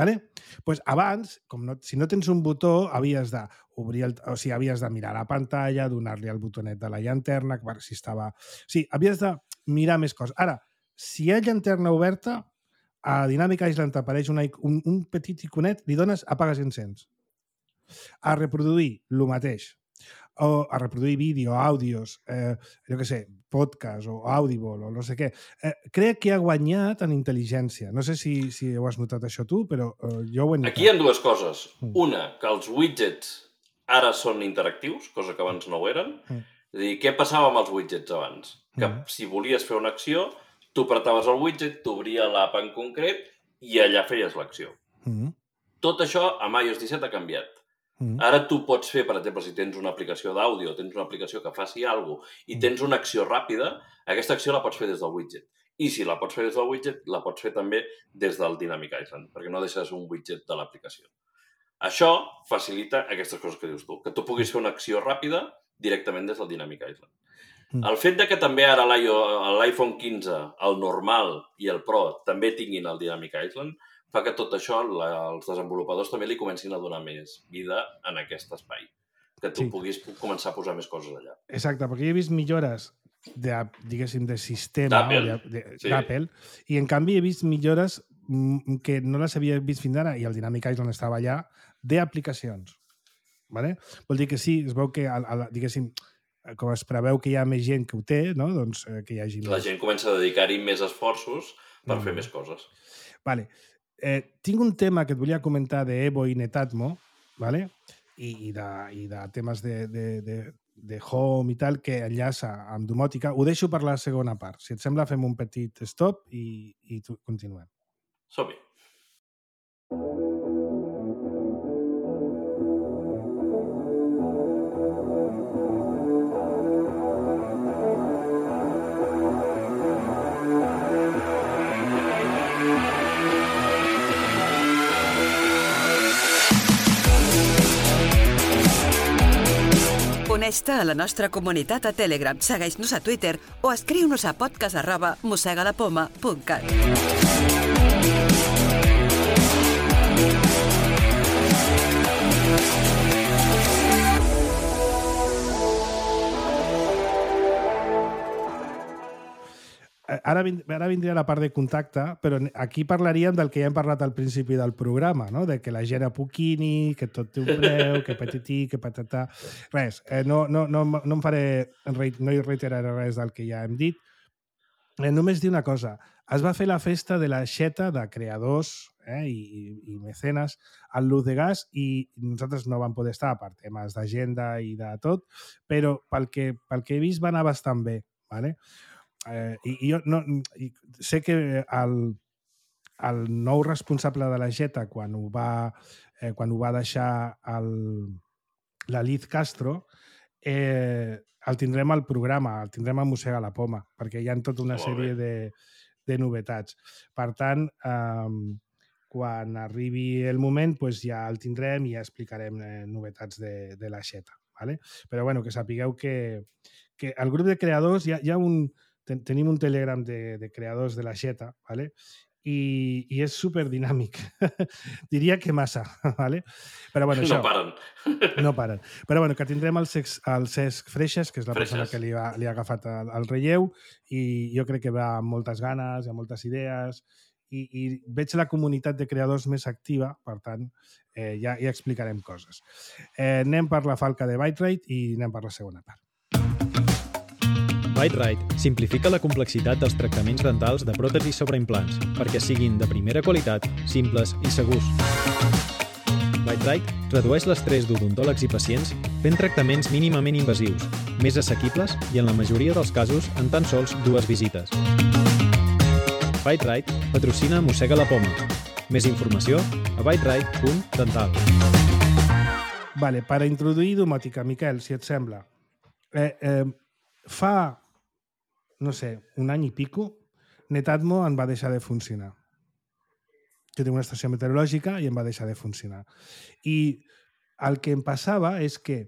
Speaker 2: Vale? Pues abans, com no, si no tens un botó, havies de obrir el, o sigui, havies de mirar la pantalla, donar-li el botonet de la llanterna, per si estava... O sigui, havies de mirar més coses. Ara, si hi ha llanterna oberta, a Dynamic Island t'apareix un, un, un petit iconet, li dones apagues i encens. A reproduir, el mateix. O a reproduir vídeo, àudios, eh, jo què sé, podcast o Audible o no sé què. Eh, crec que ha guanyat en intel·ligència. No sé si, si ho has notat això tu, però eh, jo ho he notat.
Speaker 3: Aquí hi ha dues coses. Mm. Una, que els widgets ara són interactius, cosa que abans no ho eren. Mm. És a dir, què passava amb els widgets abans? Que mm. si volies fer una acció, tu apretaves el widget, t'obria l'app en concret i allà feies l'acció. Mm. Tot això amb i O S disset ha canviat. Ara tu pots fer, per exemple, si tens una aplicació d'àudio, tens una aplicació que faci alguna cosa i tens una acció ràpida, aquesta acció la pots fer des del widget. I si la pots fer des del widget, la pots fer també des del Dynamic Island, perquè no deixes un widget de l'aplicació. Això facilita aquestes coses que dius tu, que tu puguis fer una acció ràpida directament des del Dynamic Island. Mm. El fet de que també ara l'iPhone quinze, el normal i el Pro també tinguin el Dynamic Island, fa que tot això la, els desenvolupadors també li comencin a donar més vida en aquest espai. Que tu sí. puguis començar a posar més coses allà.
Speaker 2: Exacte, perquè he vist millores de, diguéssim, de sistema d'Apple sí. i en canvi he vist millores que no les havia vist fins ara i el Dynamic Island estava allà, d'aplicacions. Vale? Vol dir que sí, es veu que, el, el, diguéssim, com es preveu que hi ha més gent que ho té, no? Doncs eh, que hi hagi
Speaker 3: La
Speaker 2: més.
Speaker 3: gent comença a dedicar-hi més esforços per mm. fer més coses.
Speaker 2: Vale. Eh, tinc un tema que et volia comentar d'Evo i Netatmo, vale? I, i, de, i de temes de, de, de, de Home i tal, que enllaça amb domòtica. Ho deixo per la segona part. Si et sembla, fem un petit stop i, i tu, continuem.
Speaker 3: Som-hi.
Speaker 4: Uneix-te a la nostra comunitat a Telegram, segueix-nos a Twitter o escriu-nos a podcast arroba mossegalapoma punt cat.
Speaker 2: Ara, vind, ara vindria la part de contacte, però aquí parlaríem del que ja hem parlat al principi del programa, no? De que la gent apoquini, que tot té un preu, que patití, que patatà... Res, eh, no, no, no, no em faré... No hi reiteraré res del que ja hem dit. Eh, només dir una cosa. Es va fer la festa de la xeta de creadors eh, i, i mecenes al Luz de Gas i nosaltres no vam poder estar per temes d'agenda i de tot, però pel que, pel que he vist va anar bastant bé, ¿vale? Eh, i, i jo no, i sé que el, el nou responsable de la Jeta, quan ho va, eh, quan ho va deixar el, la Liz Castro, eh, el tindrem al programa, el tindrem a Mossega la Poma, perquè hi ha tota una sèrie de, de novetats. Per tant, eh, quan arribi el moment, pues ja el tindrem i ja explicarem eh, novetats de, de la Jeta. ¿Vale? Però bueno, que sapigueu que, que el grup de creadors hi ha, hi ha un... Ten, tenim un Telegram de, de creadors de la Jeta, ¿vale? I, i és superdinàmic. Diria que massa, ¿vale? Però bueno, això...
Speaker 3: No paren.
Speaker 2: No paren. Però bueno, que tindrem el, sex, el Cesc Freixas, que és la Freixas. persona que li ha, li ha agafat el, el relleu, i jo crec que va amb moltes ganes, amb moltes idees, i, i veig la comunitat de creadors més activa, per tant, eh, ja, ja explicarem coses. Eh, anem per la falca de ByteRite i anem per la segona part.
Speaker 5: ByteRite simplifica la complexitat dels tractaments dentals de pròtesis sobre implants perquè siguin de primera qualitat, simples i segurs. ByteRite redueix l'estrès d'odontòlegs i pacients fent tractaments mínimament invasius, més assequibles i, en la majoria dels casos, en tan sols dues visites. ByteRite patrocina Mossega la Poma. Més informació a byterite punt dental.
Speaker 2: Vale, per introduir domòtica, Miquel, si et sembla. Eh, eh, fa... no sé, un any i pico, Netatmo en va deixar de funcionar. Jo tinc una estació meteorològica i em va deixar de funcionar. I el que em passava és que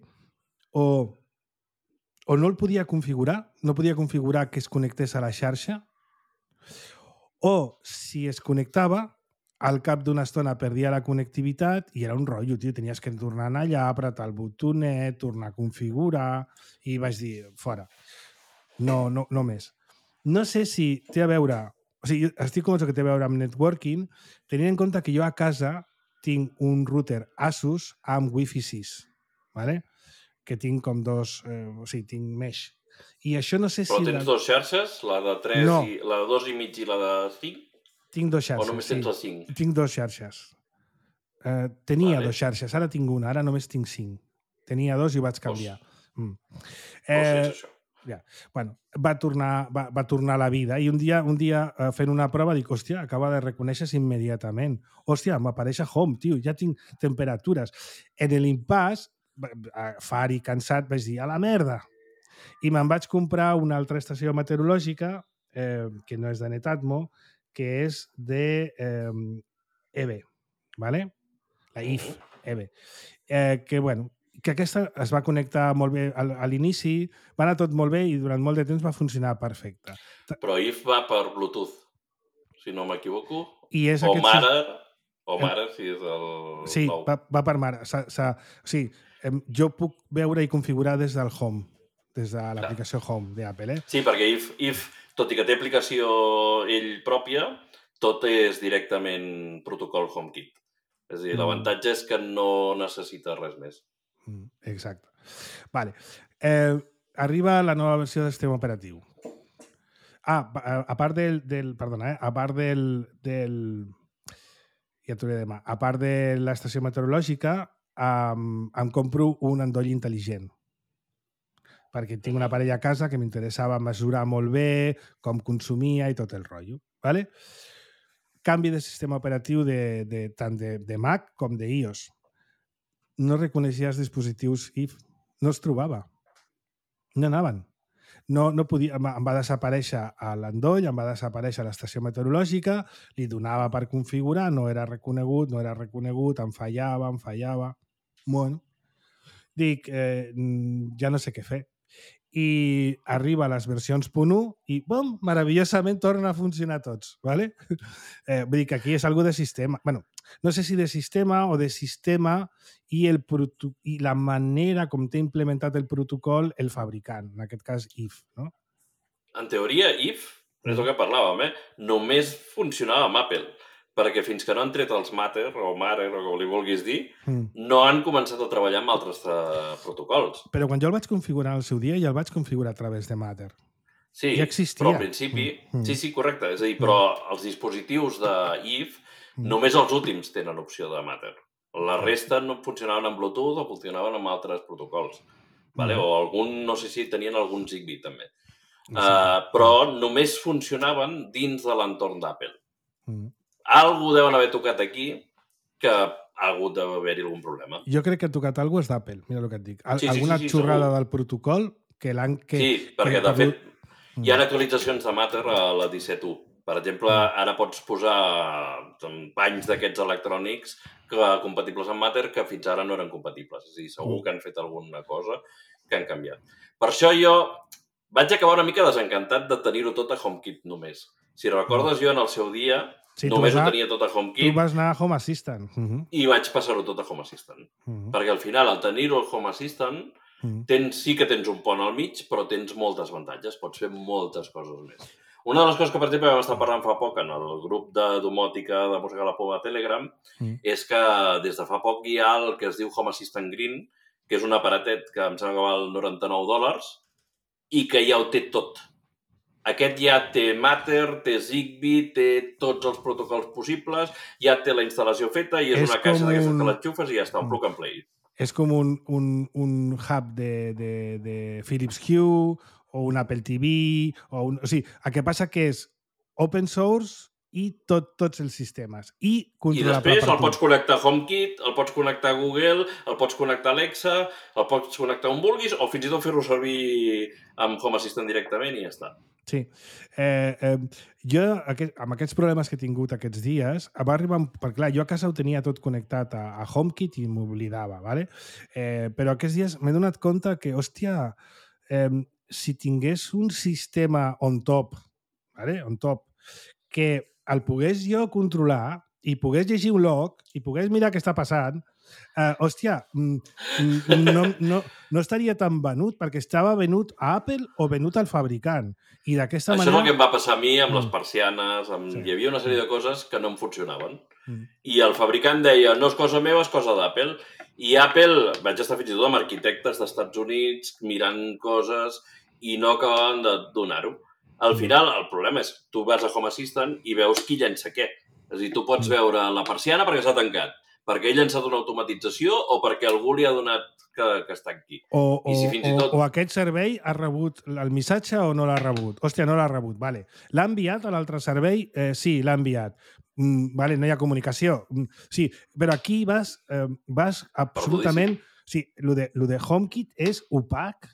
Speaker 2: o, o no el podia configurar, no podia configurar que es connectés a la xarxa, o si es connectava, al cap d'una estona perdia la connectivitat i era un rotllo, tio. Tenies que tornar allà, apretar el botonet, tornar a configurar, i vaig dir, fora. No, no, no més. No sé si té a veure... O sigui, estic convençut que té a veure amb networking, tenint en compte que jo a casa tinc un router Asus amb Wi-Fi sis, ¿vale? Que tinc com dos... Eh, o sigui, tinc mesh. I això no sé
Speaker 3: Però
Speaker 2: si...
Speaker 3: tens
Speaker 2: la...
Speaker 3: dues xarxes? La de tres
Speaker 2: no.
Speaker 3: i la de dos i mig i la de cinc?
Speaker 2: Tinc dos xarxes,
Speaker 3: o només tens
Speaker 2: sí.
Speaker 3: les cinc?
Speaker 2: Tinc dos xarxes. Eh, tenia
Speaker 3: vale.
Speaker 2: dos xarxes, ara tinc una, ara només tinc cinc. Tenia dos i ho vaig canviar. Mm.
Speaker 3: Eh... No sé això.
Speaker 2: Ja. Bueno, va tornar, va, va tornar a la vida i un dia, un dia fent una prova dic, hòstia, acaba de reconèixer-se immediatament. Hòstia, m'apareix a Home, tio, ja tinc temperatures. En l'impàs, far i cansat, vaig dir, a la merda. I me'n vaig comprar una altra estació meteorològica, eh, que no és de Netatmo, que és de eh, E B, ¿vale? La I F, E B. Eh, que, bueno, que aquesta es va connectar molt bé a l'inici, va anar tot molt bé i durant molt de temps va funcionar perfecte.
Speaker 3: Però I F va per Bluetooth, si no m'equivoco.
Speaker 2: I és
Speaker 3: o
Speaker 2: aquest...
Speaker 3: Mare, o Mare, si és el
Speaker 2: sí,
Speaker 3: nou.
Speaker 2: va, va per Mare. Sa, sa, o sigui, jo puc veure i configurar des del Home, des de l'aplicació Home d'Apple. Eh?
Speaker 3: Sí, perquè I F, I F, tot i que té aplicació ell pròpia, tot és directament protocol HomeKit. És a dir, mm. l'avantatge és que no necessita res més.
Speaker 2: Exacte. Vale. Eh, arriba la nova versió del sistema operatiu. Ah, a part del... del perdona, eh? A part del, del, ja t'ho diré demà. A part de l'estació meteorològica, um, em compro un endoll intel·ligent. Perquè tinc un aparell a casa que m'interessava mesurar molt bé com consumia i tot el rotllo. ¿Vale? Canvi de sistema operatiu de, de, tant de, de Mac com de iOS. No reconeixia els dispositius I F. No es trobava. No anaven. No, no podia, em va desaparèixer l'endoll, em va desaparèixer l'estació meteorològica, li donava per configurar, no era reconegut, no era reconegut, em fallava, em fallava. Bueno, dic, eh, ja no sé què fer. I arriba a les versions punt u i, bom, meravellosament tornen a funcionar tots. ¿Vale? Eh, vull dir que aquí és algo de sistema. Bueno, no sé si de sistema o de sistema i, el i la manera com té implementat el protocol el fabricant, en aquest cas I F. No?
Speaker 3: En teoria, I F, és el que parlàvem, eh? només funcionava amb Apple, perquè fins que no han tret els Matter, o Matter, o com li vulguis dir, mm. no han començat a treballar amb altres uh, protocols.
Speaker 2: Però quan jo el vaig configurar al seu dia, ja el vaig configurar a través de Matter.
Speaker 3: Sí,
Speaker 2: ja existia.
Speaker 3: Però al principi... Mm. Sí, sí, correcte. És a dir, però mm. els dispositius de I F, mm. només els últims tenen opció de Matter. La resta no funcionaven amb Bluetooth o funcionaven amb altres protocols. Vale? Mm. O algun, no sé si tenien algun Zigbee, també. Sí. Uh, però només funcionaven dins de l'entorn d'Apple. Mm. Algú deuen haver tocat aquí que ha hagut d'haver-hi algun problema.
Speaker 2: Jo crec que ha tocat alguna cosa és d'Apple, mira el que et dic. Al,
Speaker 3: sí, sí,
Speaker 2: alguna
Speaker 3: sí, sí,
Speaker 2: xorrada
Speaker 3: segur.
Speaker 2: Del protocol que l'han... Que,
Speaker 3: sí, perquè
Speaker 2: que
Speaker 3: de fet mm. hi ha actualitzacions de Matter a la disset u. Per exemple, ara pots posar panys d'aquests electrònics que, compatibles amb Matter que fins ara no eren compatibles. És a dir, segur que han fet alguna cosa que han canviat. Per això jo vaig acabar una mica desencantat de tenir-ho tot a HomeKit només. Si recordes, jo en el seu dia sí, només anar, ho tenia tot a HomeKit.
Speaker 2: Tu vas anar a Home Assistant. Uh -huh.
Speaker 3: I vaig passar-ho tot a Home Assistant. Uh -huh. Perquè al final, al tenir-ho al Home Assistant, uh -huh. tens, sí que tens un pont al mig, però tens moltes avantatges. Pots fer moltes coses més. Una de les coses que, per exemple, vam estar parlant fa poc en el grup de domòtica de Mossegar la Poma a Telegram uh -huh. és que des de fa poc hi ha el que es diu Home Assistant Green, que és un aparatet que em sembla que val noranta-nou dòlars i que ja ho té tot. Aquest ja té Matter, té Zigbee, té tots els protocols possibles, ja té la instal·lació feta i és, és una caixa d'aquestes un... que l'enxufes i ja està, un plug and play.
Speaker 2: És com un, un, un hub de, de, de Philips Hue o un Apple T V, o, un, o sigui, el que passa que és open source i tot, tots els sistemes. I,
Speaker 3: I després el pots connectar a HomeKit, el pots connectar a Google, el pots connectar a Alexa, el pots connectar on vulguis o fins i tot fer-ho servir amb Home Assistant directament i ja està.
Speaker 2: Sí. Eh, eh, jo, aquest, amb aquests problemes que he tingut aquests dies, va arribar... Perquè, clar, jo a casa ho tenia tot connectat a, a HomeKit i m'oblidava, ¿vale? Eh, però aquests dies m'he donat compte que, hòstia, eh, si tingués un sistema on top, ¿vale? On top, que el pogués jo controlar i pogués llegir un log i pogués mirar què està passant, eh, hòstia, no, no, no estaria tan venut perquè estava venut a Apple o venut al fabricant. I d'aquesta manera...
Speaker 3: Això és el que em va passar a mi amb mm. les persianes. Amb... Sí. Hi havia una sèrie de coses que no em funcionaven. Mm. I el fabricant deia, no és cosa meva, és cosa d'Apple. I Apple, vaig estar fins i tot amb arquitectes d'Estats Units mirant coses i no acabaven de donar-ho. Al final, el problema és tu vas a Home Assistant i veus qui llença què. És a dir, tu pots veure la persiana perquè s'ha tancat, perquè ell ha llançat una automatització o perquè algú li ha donat que, que està aquí.
Speaker 2: O, I si fins i tot... o, o aquest servei ha rebut el missatge o no l'ha rebut. Hòstia, no l'ha rebut, vale. L'ha enviat a l'altre servei? Eh, sí, l'ha enviat. Mm, vale, no hi ha comunicació. Mm, sí, però aquí vas, eh, vas absolutament... Sí, lo de, lo de HomeKit és opac.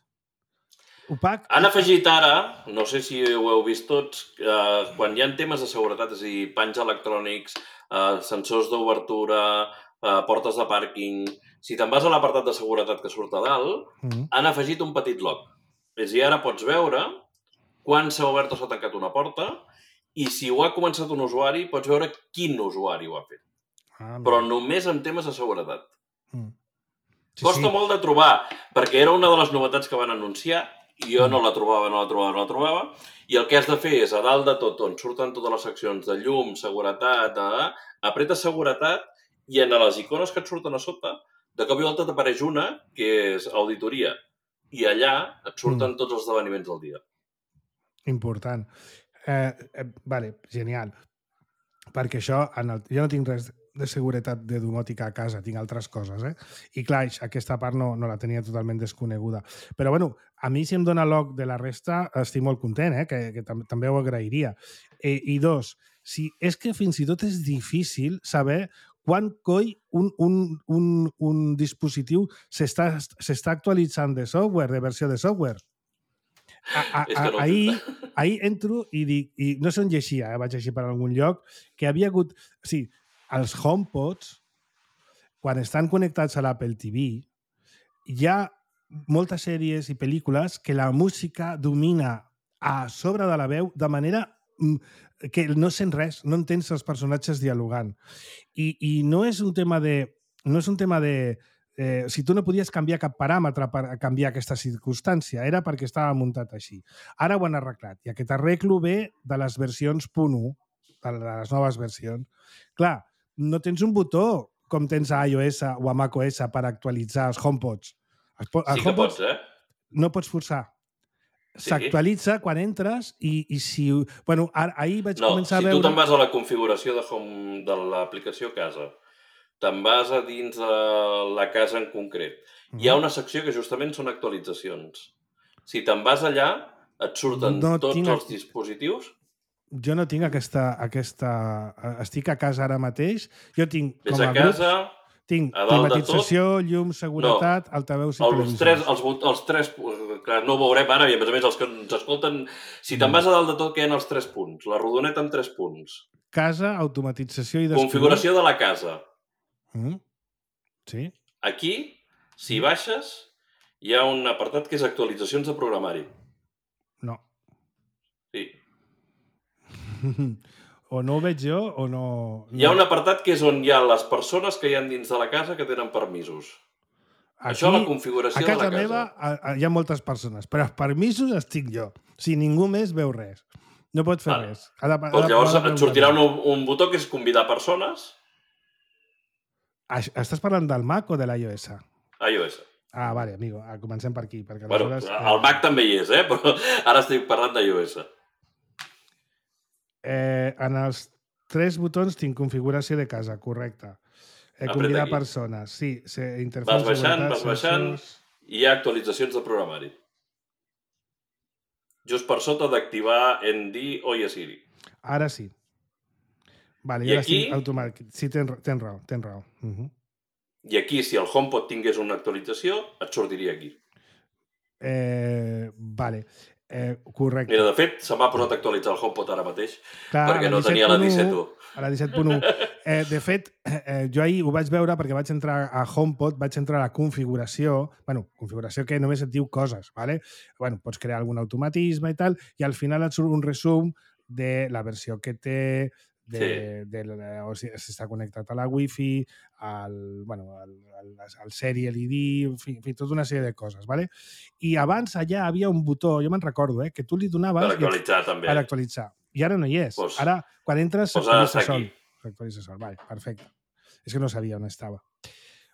Speaker 2: Opac.
Speaker 3: Han afegit ara, no sé si ho heu vist tots, eh, quan hi ha temes de seguretat, és a dir, panys electrònics, eh, sensors d'obertura, eh, portes de pàrquing... Si te'n vas a l'apartat de seguretat que surt a dalt, mm-hmm. han afegit un petit log. És a dir, ara pots veure quan s'ha obert o s'ha tancat una porta i si ho ha començat un usuari, pots veure quin usuari ho ha fet. Ah, però només en temes de seguretat. Mm. Sí, Costa sí. molt de trobar, perquè era una de les novetats que van anunciar i jo no la trobava, no la trobava, no la trobava, i el que has de fer és, a dalt de tot, on surten totes les seccions de llum, seguretat, eh, apretes seguretat i en les icones que et surten a sota, de cop i volta t'apareix una, que és auditoria, i allà et surten mm. tots els esdeveniments del dia.
Speaker 2: Important. Eh, eh, vale, genial. Perquè això, en el, jo no tinc res, de seguretat de domòtica a casa, tinc altres coses, eh? I clar, aquesta part no, no la tenia totalment desconeguda. Però bueno, a mi si em dona l'oc de la resta, estic molt content, eh? Que, que tam també ho agrairia. Eh, I dos, si és que fins i tot és difícil saber quan coi un, un, un, un dispositiu s'està actualitzant de software, de versió de software. A, a, a, no ahir, ahir entro i dic, i no sé on llegia, eh, vaig llegir per algun lloc, que havia hagut... O sigui, els HomePods, quan estan connectats a l'Apple T V, hi ha moltes sèries i pel·lícules que la música domina a sobre de la veu de manera que no sent res, no entens els personatges dialogant. I, i no és un tema de... No és un tema de Eh, si tu no podies canviar cap paràmetre per canviar aquesta circumstància, era perquè estava muntat així. Ara ho han arreglat, i aquest arreglo ve de les versions punt u, de les noves versions. Clar, no tens un botó com tens a iOS o a macOS per actualitzar els HomePods. Els
Speaker 3: sí que
Speaker 2: HomePods
Speaker 3: pots, eh?
Speaker 2: No pots forçar.
Speaker 3: Sí.
Speaker 2: S'actualitza quan entres i, i si... Bueno, ara, ahir vaig
Speaker 3: no,
Speaker 2: començar
Speaker 3: si
Speaker 2: a veure...
Speaker 3: No, si tu te'n vas a la configuració de, home, de l'aplicació Casa, te'n vas a dins de la casa en concret. Hi ha una secció que justament són actualitzacions. Si te'n vas allà, et surten no tots tinc... els dispositius.
Speaker 2: Jo no tinc aquesta, aquesta... Estic a casa ara mateix. Jo tinc
Speaker 3: Ves
Speaker 2: com a,
Speaker 3: a casa,
Speaker 2: grups... Tinc
Speaker 3: a dalt
Speaker 2: climatització,
Speaker 3: de tot...
Speaker 2: llum, seguretat, no. Altaveus i
Speaker 3: els
Speaker 2: televisors.
Speaker 3: Tres, els, els tres... Clar, no ho veurem ara, i a més a més els que ens escolten... Si te'n vas a dalt de tot, què hi ha els tres punts? La rodoneta amb tres punts.
Speaker 2: Casa, automatització i... Descobrir.
Speaker 3: Configuració de la casa.
Speaker 2: Mm. Sí.
Speaker 3: Aquí, si baixes, hi ha un apartat que és actualitzacions de programari.
Speaker 2: No.
Speaker 3: Sí.
Speaker 2: O no ho veig jo, o no... no...
Speaker 3: Hi ha un apartat que és on hi ha les persones que hi ha dins de la casa que tenen permisos. Aquí, això, la configuració de la casa.
Speaker 2: A casa meva a, a, hi ha moltes persones, però els permisos estic jo. Si ningú més veu res. No pot fer ah. res. Ha de, ha
Speaker 3: doncs llavors
Speaker 2: ha de
Speaker 3: et sortirà un, un botó que és convidar persones.
Speaker 2: Estàs parlant del Mac o de l'iOS?
Speaker 3: iOS.
Speaker 2: Ah, vale, amigo. Comencem per aquí. Perquè
Speaker 3: bueno, aleshores, el Mac eh... també hi és, eh? Però ara estic parlant d'iOS.
Speaker 2: Eh, en els tres botons tinc configuració de casa, correcte. Eh, convidar persones. Sí, interfaz,
Speaker 3: vas baixant, vas baixant, i hi ha actualitzacions de programari. Just per sota d'activar N D o i a Siri.
Speaker 2: Ara sí. Vale,
Speaker 3: I aquí...
Speaker 2: Sí, automàtic. Sí, tens, tens raó, tens raó. Uh -huh.
Speaker 3: I aquí, si el HomePod tingués una actualització, et sortiria aquí.
Speaker 2: Eh, vale, eh, correcte.
Speaker 3: Mira, de fet, se m'ha posat a actualitzar el HomePod ara mateix, clar, perquè no tenia la disset u.
Speaker 2: A la disset punt u. Eh, de fet, eh, jo ahir ho vaig veure perquè vaig entrar a HomePod, vaig entrar a la configuració, bueno, configuració que només et diu coses, ¿vale? Bueno, pots crear algun automatisme i tal, i al final et surt un resum de la versió que té, de, sí. de, de, o sigui, si està connectat a la Wi-Fi, al, bueno, al, al, al Serial I D, en fi, en fi, tota una sèrie de coses, ¿vale? I abans allà havia un botó, jo me'n recordo, eh, que tu li donaves...
Speaker 3: Per actualitzar, i, també.
Speaker 2: Per actualitzar. I ara no hi és.
Speaker 3: Pues,
Speaker 2: ara, quan entres,
Speaker 3: pues
Speaker 2: s'actualitza sol. S'actualitza sol, vale, perfecte. És que no sabia on estava.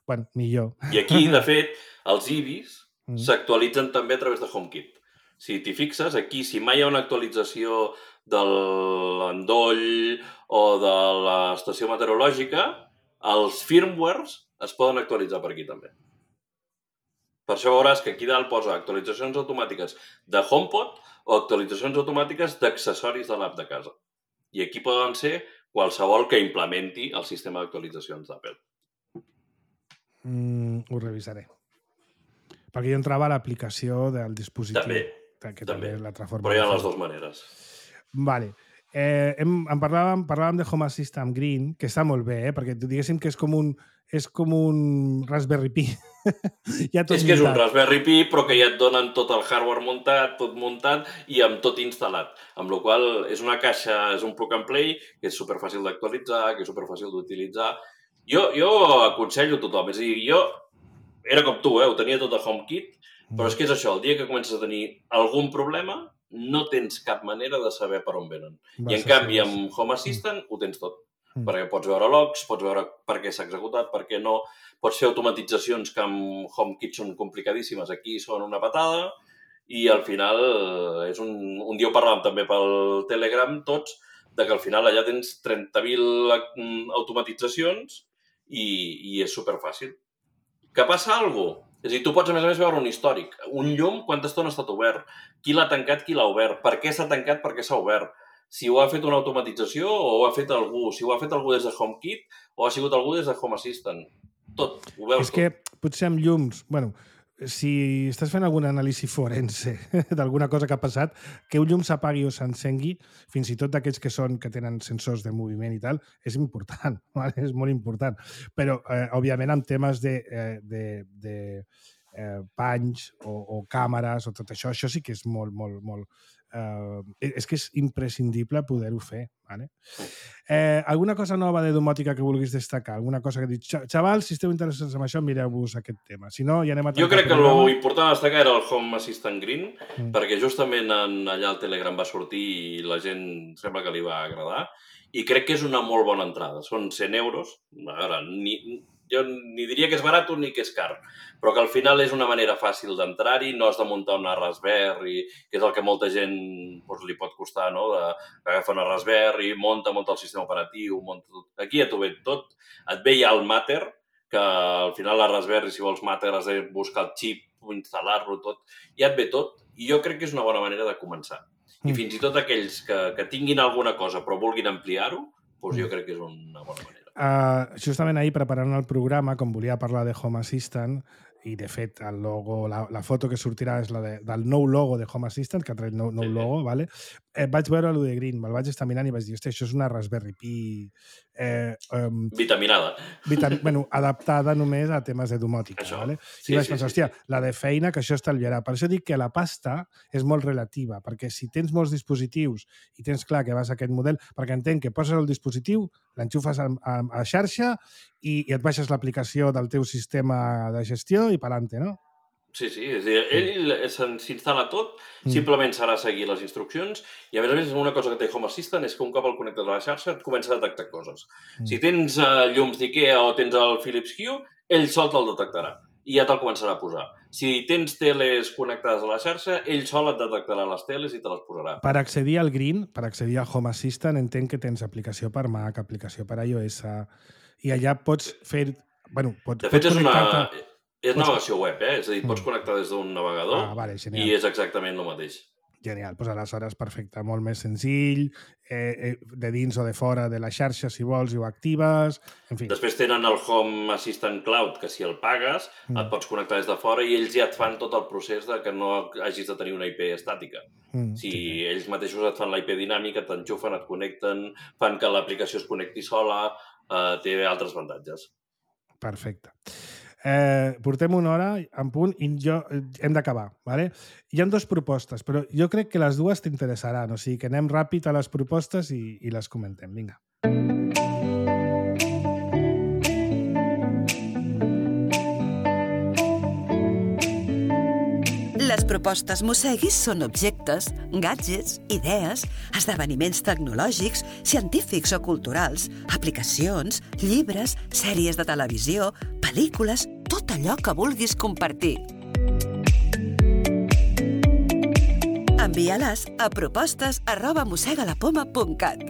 Speaker 2: Bueno, millor.
Speaker 3: I aquí, de fet, els I B I S mm. s'actualitzen també a través de HomeKit. Si t'hi fixes, aquí, si mai hi ha una actualització de l'endoll o de l'estació meteorològica, els firmwares es poden actualitzar per aquí també. Per això veuràs que aquí dalt posa actualitzacions automàtiques de HomePod o actualitzacions automàtiques d'accessoris de l'app de casa. I aquí poden ser qualsevol que implementi el sistema d'actualitzacions d'Apple.
Speaker 2: Mm, ho revisaré. Perquè jo entrava a l'aplicació del dispositiu.
Speaker 3: També,
Speaker 2: que
Speaker 3: també.
Speaker 2: també l'altra forma.
Speaker 3: Però hi ha les dues maneres.
Speaker 2: Vale. Eh, hem, en parlàvem, parlàvem de Home Assistant Green, que està molt bé, eh? Perquè diguéssim que és com un, és com un Raspberry Pi. ja tot
Speaker 3: és que és un Raspberry Pi, però que ja et donen tot el hardware muntat, tot muntat i amb tot instal·lat. Amb la qual cosa és una caixa, és un plug and play, que és superfàcil d'actualitzar, que és superfàcil d'utilitzar. Jo, jo aconsello a tothom. És a dir, jo era com tu, eh? Ho tenia tot a HomeKit, però és que és això, el dia que comences a tenir algun problema, no tens cap manera de saber per on venen. Va, I en canvi, amb Home Assistant mm. ho tens tot. Mm. Perquè pots veure logs, pots veure per què s'ha executat, per què no. Pots fer automatitzacions que amb HomeKit són complicadíssimes. Aquí són una patada i al final és un... Un dia ho parlàvem també pel Telegram tots, de que al final allà tens trenta mil automatitzacions i, i és superfàcil. Que passa alguna cosa? És a dir, tu pots, a més a més, veure un històric. Un llum, quanta estona ha estat obert? Qui l'ha tancat, qui l'ha obert? Per què s'ha tancat, per què s'ha obert? Si ho ha fet una automatització o ho ha fet algú, si ho ha fet algú des de HomeKit o ha sigut algú des de Home Assistant. Tot, ho veus
Speaker 2: és
Speaker 3: tot.
Speaker 2: És que potser amb llums... Bueno, si estàs fent algun anàlisi forense d'alguna cosa que ha passat, que un llum s'apagui o s'encengui, fins i tot d'aquells que són que tenen sensors de moviment i tal, és important, ¿vale? És molt important. Però, eh, òbviament, amb temes de, eh, de, de eh, panys o, o càmeres o tot això, això sí que és molt, molt, molt... Uh, és que és imprescindible poder-ho fer. Vale? Eh, alguna cosa nova de domòtica que vulguis destacar? Alguna cosa que dius, xavals, si esteu interessats en això, mireu-vos aquest tema. Si no, ja anem a...
Speaker 3: Jo crec que l'important a destacar era el Home Assistant Green, mm. perquè justament en, allà al Telegram va sortir i la gent sembla que li va agradar, i crec que és una molt bona entrada. Són cent euros. A veure, ni... jo ni diria que és barat ni que és car, però que al final és una manera fàcil d'entrar-hi, no has de muntar una Raspberry, que és el que molta gent doncs, li pot costar, no? Agafar una Raspberry, monta, monta el sistema operatiu, monta tot. Aquí ja t'ho ve tot. Et ve ja el Matter, que al final la Raspberry, si vols Matter, has de buscar el xip, instal·lar-lo tot, ja et ve tot, i jo crec que és una bona manera de començar. I mm. fins i tot aquells que, que tinguin alguna cosa però vulguin ampliar-ho, doncs jo crec que és una bona manera.
Speaker 2: Uh, justament ahir, preparant el programa, com volia parlar de Home Assistant, i de fet el logo, la, la foto que sortirà és la de, del nou logo de Home Assistant, que ha tret nou, nou sí. logo, vale? eh, vaig veure el de Green, me'l vaig estar mirant i vaig dir, hosti, això és una Raspberry Pi... Eh, um,
Speaker 3: Vitaminada.
Speaker 2: Vitam bueno, adaptada només a temes de domòtica.
Speaker 3: Això.
Speaker 2: Vale?
Speaker 3: Sí,
Speaker 2: I vaig
Speaker 3: sí,
Speaker 2: pensar,
Speaker 3: sí,
Speaker 2: hòstia,
Speaker 3: sí.
Speaker 2: la de feina, que això estalviarà. Per això dic que la pasta és molt relativa, perquè si tens molts dispositius i tens clar que vas a aquest model, perquè entenc que poses el dispositiu, l'enxufes a, a, a xarxa i, i et baixes l'aplicació del teu sistema de gestió i pa'lante, no?
Speaker 3: Sí, sí, és a dir, ell s'instal·la tot, simplement serà seguir les instruccions i, a més a més, una cosa que té Home Assistant és que un cop el connectes a la xarxa et comença a detectar coses. Mm. Si tens uh, llums d'IKEA o tens el Philips Hue, ell sol te'l detectarà i ja te'l començarà a posar. Si tens teles connectades a la xarxa, ell sol et detectarà les teles i te les posarà.
Speaker 2: Per accedir al Green, per accedir a Home Assistant, entenc que tens aplicació per Mac, aplicació per iOS, i allà pots fer... Bueno, pots,
Speaker 3: de fet,
Speaker 2: pots
Speaker 3: és una...
Speaker 2: connectar-te...
Speaker 3: És navegació web, eh? És a dir, pots connectar des d'un navegador
Speaker 2: ah, vale,
Speaker 3: i és exactament el mateix.
Speaker 2: Genial, doncs aleshores perfecte, molt més senzill, eh, eh, de dins o de fora de la xarxa, si vols, i ho actives, en fi.
Speaker 3: Després tenen el Home Assistant Cloud, que si el pagues, mm. et pots connectar des de fora i ells ja et fan tot el procés de que no hagis de tenir una I P estàtica. Mm, si sí. ells mateixos et fan la I P dinàmica, t'enxufen, et connecten, fan que l'aplicació es connecti sola, eh, té altres avantatges.
Speaker 2: Perfecte. Eh, portem una hora en punt i jo, hem d'acabar. ¿Vale? Hi ha dues propostes, però jo crec que les dues t'interessaran. O sigui que anem ràpid a les propostes i, i les comentem. Vinga.
Speaker 4: Les propostes Mosseguis són objectes, gadgets, idees, esdeveniments tecnològics, científics o culturals, aplicacions, llibres, sèries de televisió, pel·lícules, tot allò que vulguis compartir. Envia-les a propostes arroba mossegalapoma punt cat.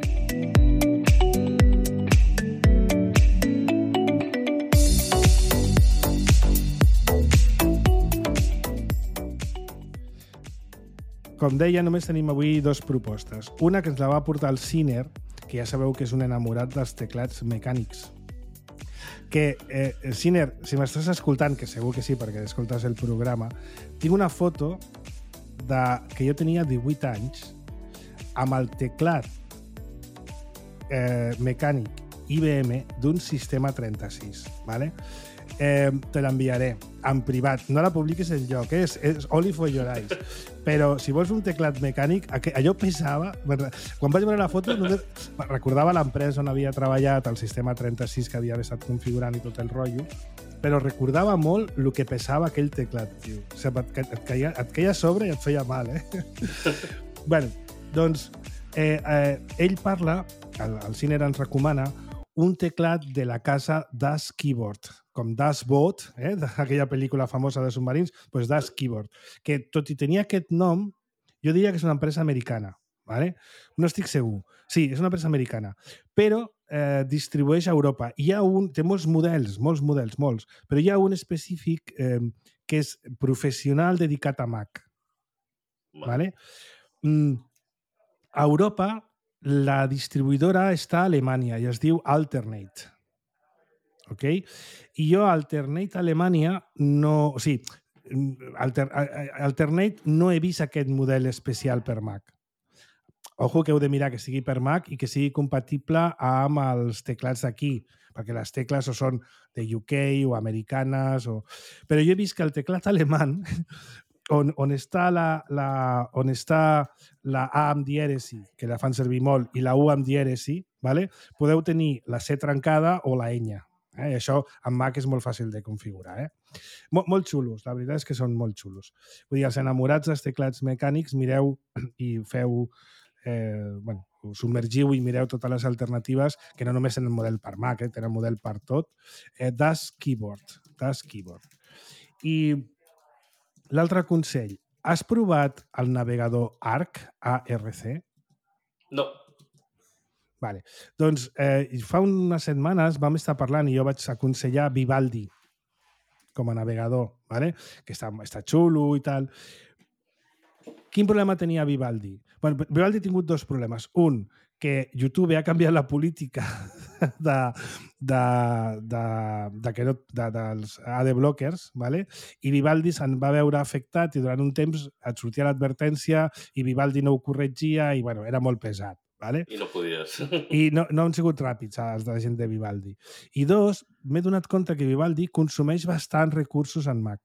Speaker 2: Com deia, només tenim avui dues propostes. Una que ens la va portar el Ciner, que ja sabeu que és un enamorat dels teclats mecànics. Que, eh, Ciner, si m'estàs escoltant, que segur que sí, perquè escoltes el programa, tinc una foto de que jo tenia divuit anys amb el teclat eh, mecànic I B M d'un sistema trenta-sis, ¿vale? Eh, te l'enviaré en privat. No la publiquis enlloc, eh? és, és only for your eyes. Però si vols un teclat mecànic, allò pesava... Quan vaig veure la foto, només recordava l'empresa on havia treballat, el sistema trenta-sis que havia estat configurant i tot el rotllo, però recordava molt el que pesava aquell teclat, tio. O sigui, et, et, caia, et caia a sobre i et feia mal, eh? Bueno, doncs, eh, eh, ell parla, el, el Ciner ens recomana, un teclat de la casa Das Keyboard, com Das Boat, eh, d'aquella pel·lícula famosa de submarins, doncs Das Keyboard, que tot i tenir aquest nom, jo diria que és una empresa americana, ¿vale? No estic segur, Sí, és una empresa americana, però eh, distribueix a Europa. Hi ha un, té molts models, molts models, molts, però hi ha un específic eh, que és professional dedicat a Mac.
Speaker 3: Vale.
Speaker 2: Vale? Mm, a Europa, la distribuïdora està a Alemanya i es diu Alternate. Ok? I jo Alternate Alemanya no... O sigui, Alter, Alternate no he vist aquest model especial per Mac. Ojo que heu de mirar que sigui per Mac i que sigui compatible amb els teclats d'aquí, perquè les tecles o són de U K o americanes, o... però jo he vist que el teclat alemany, on, on està la, la, on està la A amb dièresi, que la fan servir molt, i la U amb dièresi, ¿vale? Podeu tenir la C trencada o la ñ. Eh? I això amb Mac és molt fàcil de configurar. Eh? Mol, molt xulos, la veritat és que són molt xulos. Vull dir, els enamorats dels teclats mecànics, mireu i feu... Eh, bueno, us submergiu i mireu totes les alternatives, que no només tenen model per Mac, eh, tenen model per tot. Eh, Das Keyboard. Das Keyboard. I l'altre consell, has provat el navegador Arc, A R C?
Speaker 3: No.
Speaker 2: Vale. Doncs eh, fa unes setmanes vam estar parlant i jo vaig aconsellar Vivaldi com a navegador, ¿vale? Que està, està xulo i tal. Quin problema tenia Vivaldi? Bueno, Vivaldi ha tingut dos problemes. Un, que YouTube ha canviat la política de, de, de, de, que no, de, dels adblockers, ¿vale? I Vivaldi se'n va veure afectat i durant un temps et sortia l'advertència i Vivaldi no ho corregia i bueno, era molt pesat. Vale?
Speaker 3: I no podies.
Speaker 2: I no, no han sigut ràpids els de la gent de Vivaldi. I dos, m'he donat compte que Vivaldi consumeix bastants recursos en Mac.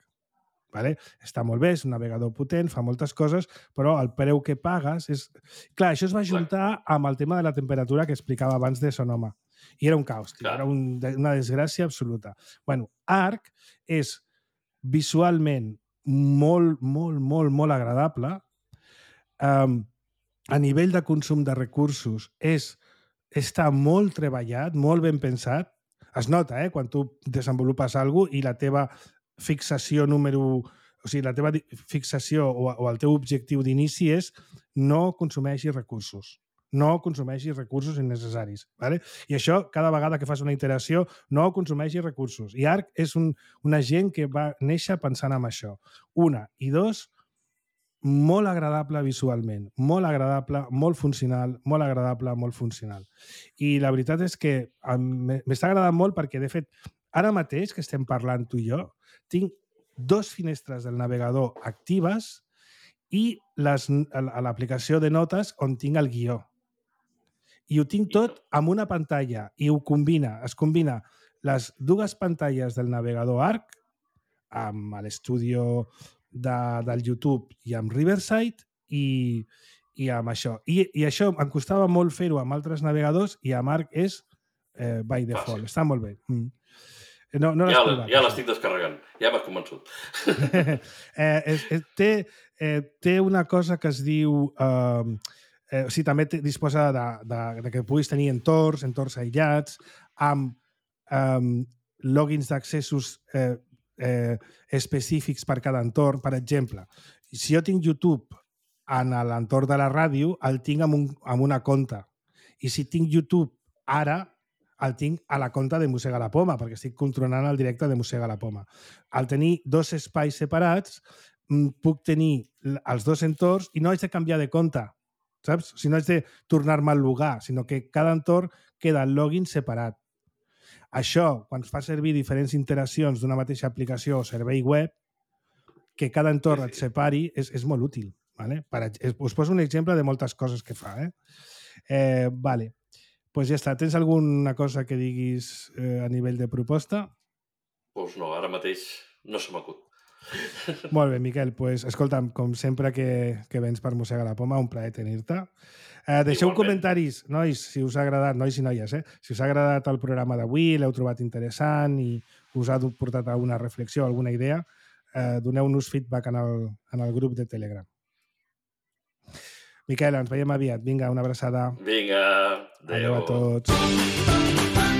Speaker 2: Vale? Està molt bé, és un navegador potent, fa moltes coses, però el preu que pagues és... Clar, això es va juntar amb el tema de la temperatura que explicava abans de Sonoma. I era un caos, tio, era un, una desgràcia absoluta. Bueno, Arc és visualment molt, molt, molt, molt agradable. Um, a nivell de consum de recursos és, està molt treballat, molt ben pensat. Es nota, eh, quan tu desenvolupes alguna cosa i la teva fixació número... O sigui, la teva fixació o, o el teu objectiu d'inici és no consumeixis recursos. No consumeixis recursos innecessaris. ¿Vale? I això, cada vegada que fas una iteració, no consumeixis recursos. I Arc és un, una gent que va néixer pensant en això. Una. I dos, molt agradable visualment, molt agradable, molt funcional, molt agradable, molt funcional. I la veritat és que m'està agradant molt perquè, de fet, ara mateix que estem parlant tu i jo, tinc dos finestres del navegador actives i l'aplicació de notes on tinc el guió. I ho tinc tot amb una pantalla i ho combina, es combina les dues pantalles del navegador Arc amb l'estudi de, del YouTube i amb Riverside i, i amb això. I, I això em costava molt fer-ho amb altres navegadors i amb Arc és eh, by default. Fàcil. Està molt bé. Mm. No, no
Speaker 3: ja ja l'estic descarregant. Ja m'has convençut.
Speaker 2: eh, és, és, té, eh, té una cosa que es diu... Eh, eh, o sigui, també te, disposa de, de, de que puguis tenir entorns, entorns aïllats, amb eh, logins d'accessos eh, Eh, específics per cada entorn. Per exemple, si jo tinc YouTube en l'entorn de la ràdio, el tinc amb, un, amb una conta. I si tinc YouTube ara, el tinc a la conta de Mossega la Poma, perquè estic controlant el directe de Mossega la Poma. Al tenir dos espais separats, puc tenir els dos entorns i no haig de canviar de compte, saps? Si no haig de tornar-me al logar, sinó que cada entorn queda el login separat. Això, quan es fa servir diferents iteracions d'una mateixa aplicació o servei web, que cada entorn et separi, és, és molt útil. ¿Vale? Per, us poso un exemple de moltes coses que fa. Eh? Eh, vale. Pues ja està. Tens alguna cosa que diguis eh, a nivell de proposta?
Speaker 3: Doncs no, ara mateix no se m'acut.
Speaker 2: Molt bé, Miquel. Pues, escolta'm, com sempre que, que vens per Mossega la Poma, un plaer tenir-te. Eh, deixeu Igualment. comentaris, nois, si us ha agradat, nois i noies, eh? Si us ha agradat el programa d'avui, l'heu trobat interessant i us ha portat a una reflexió, alguna idea, eh, doneu-nos feedback en el, en el grup de Telegram. Miquel, ens veiem aviat. Vinga, una abraçada.
Speaker 3: Vinga, adéu.
Speaker 2: Adéu a tots.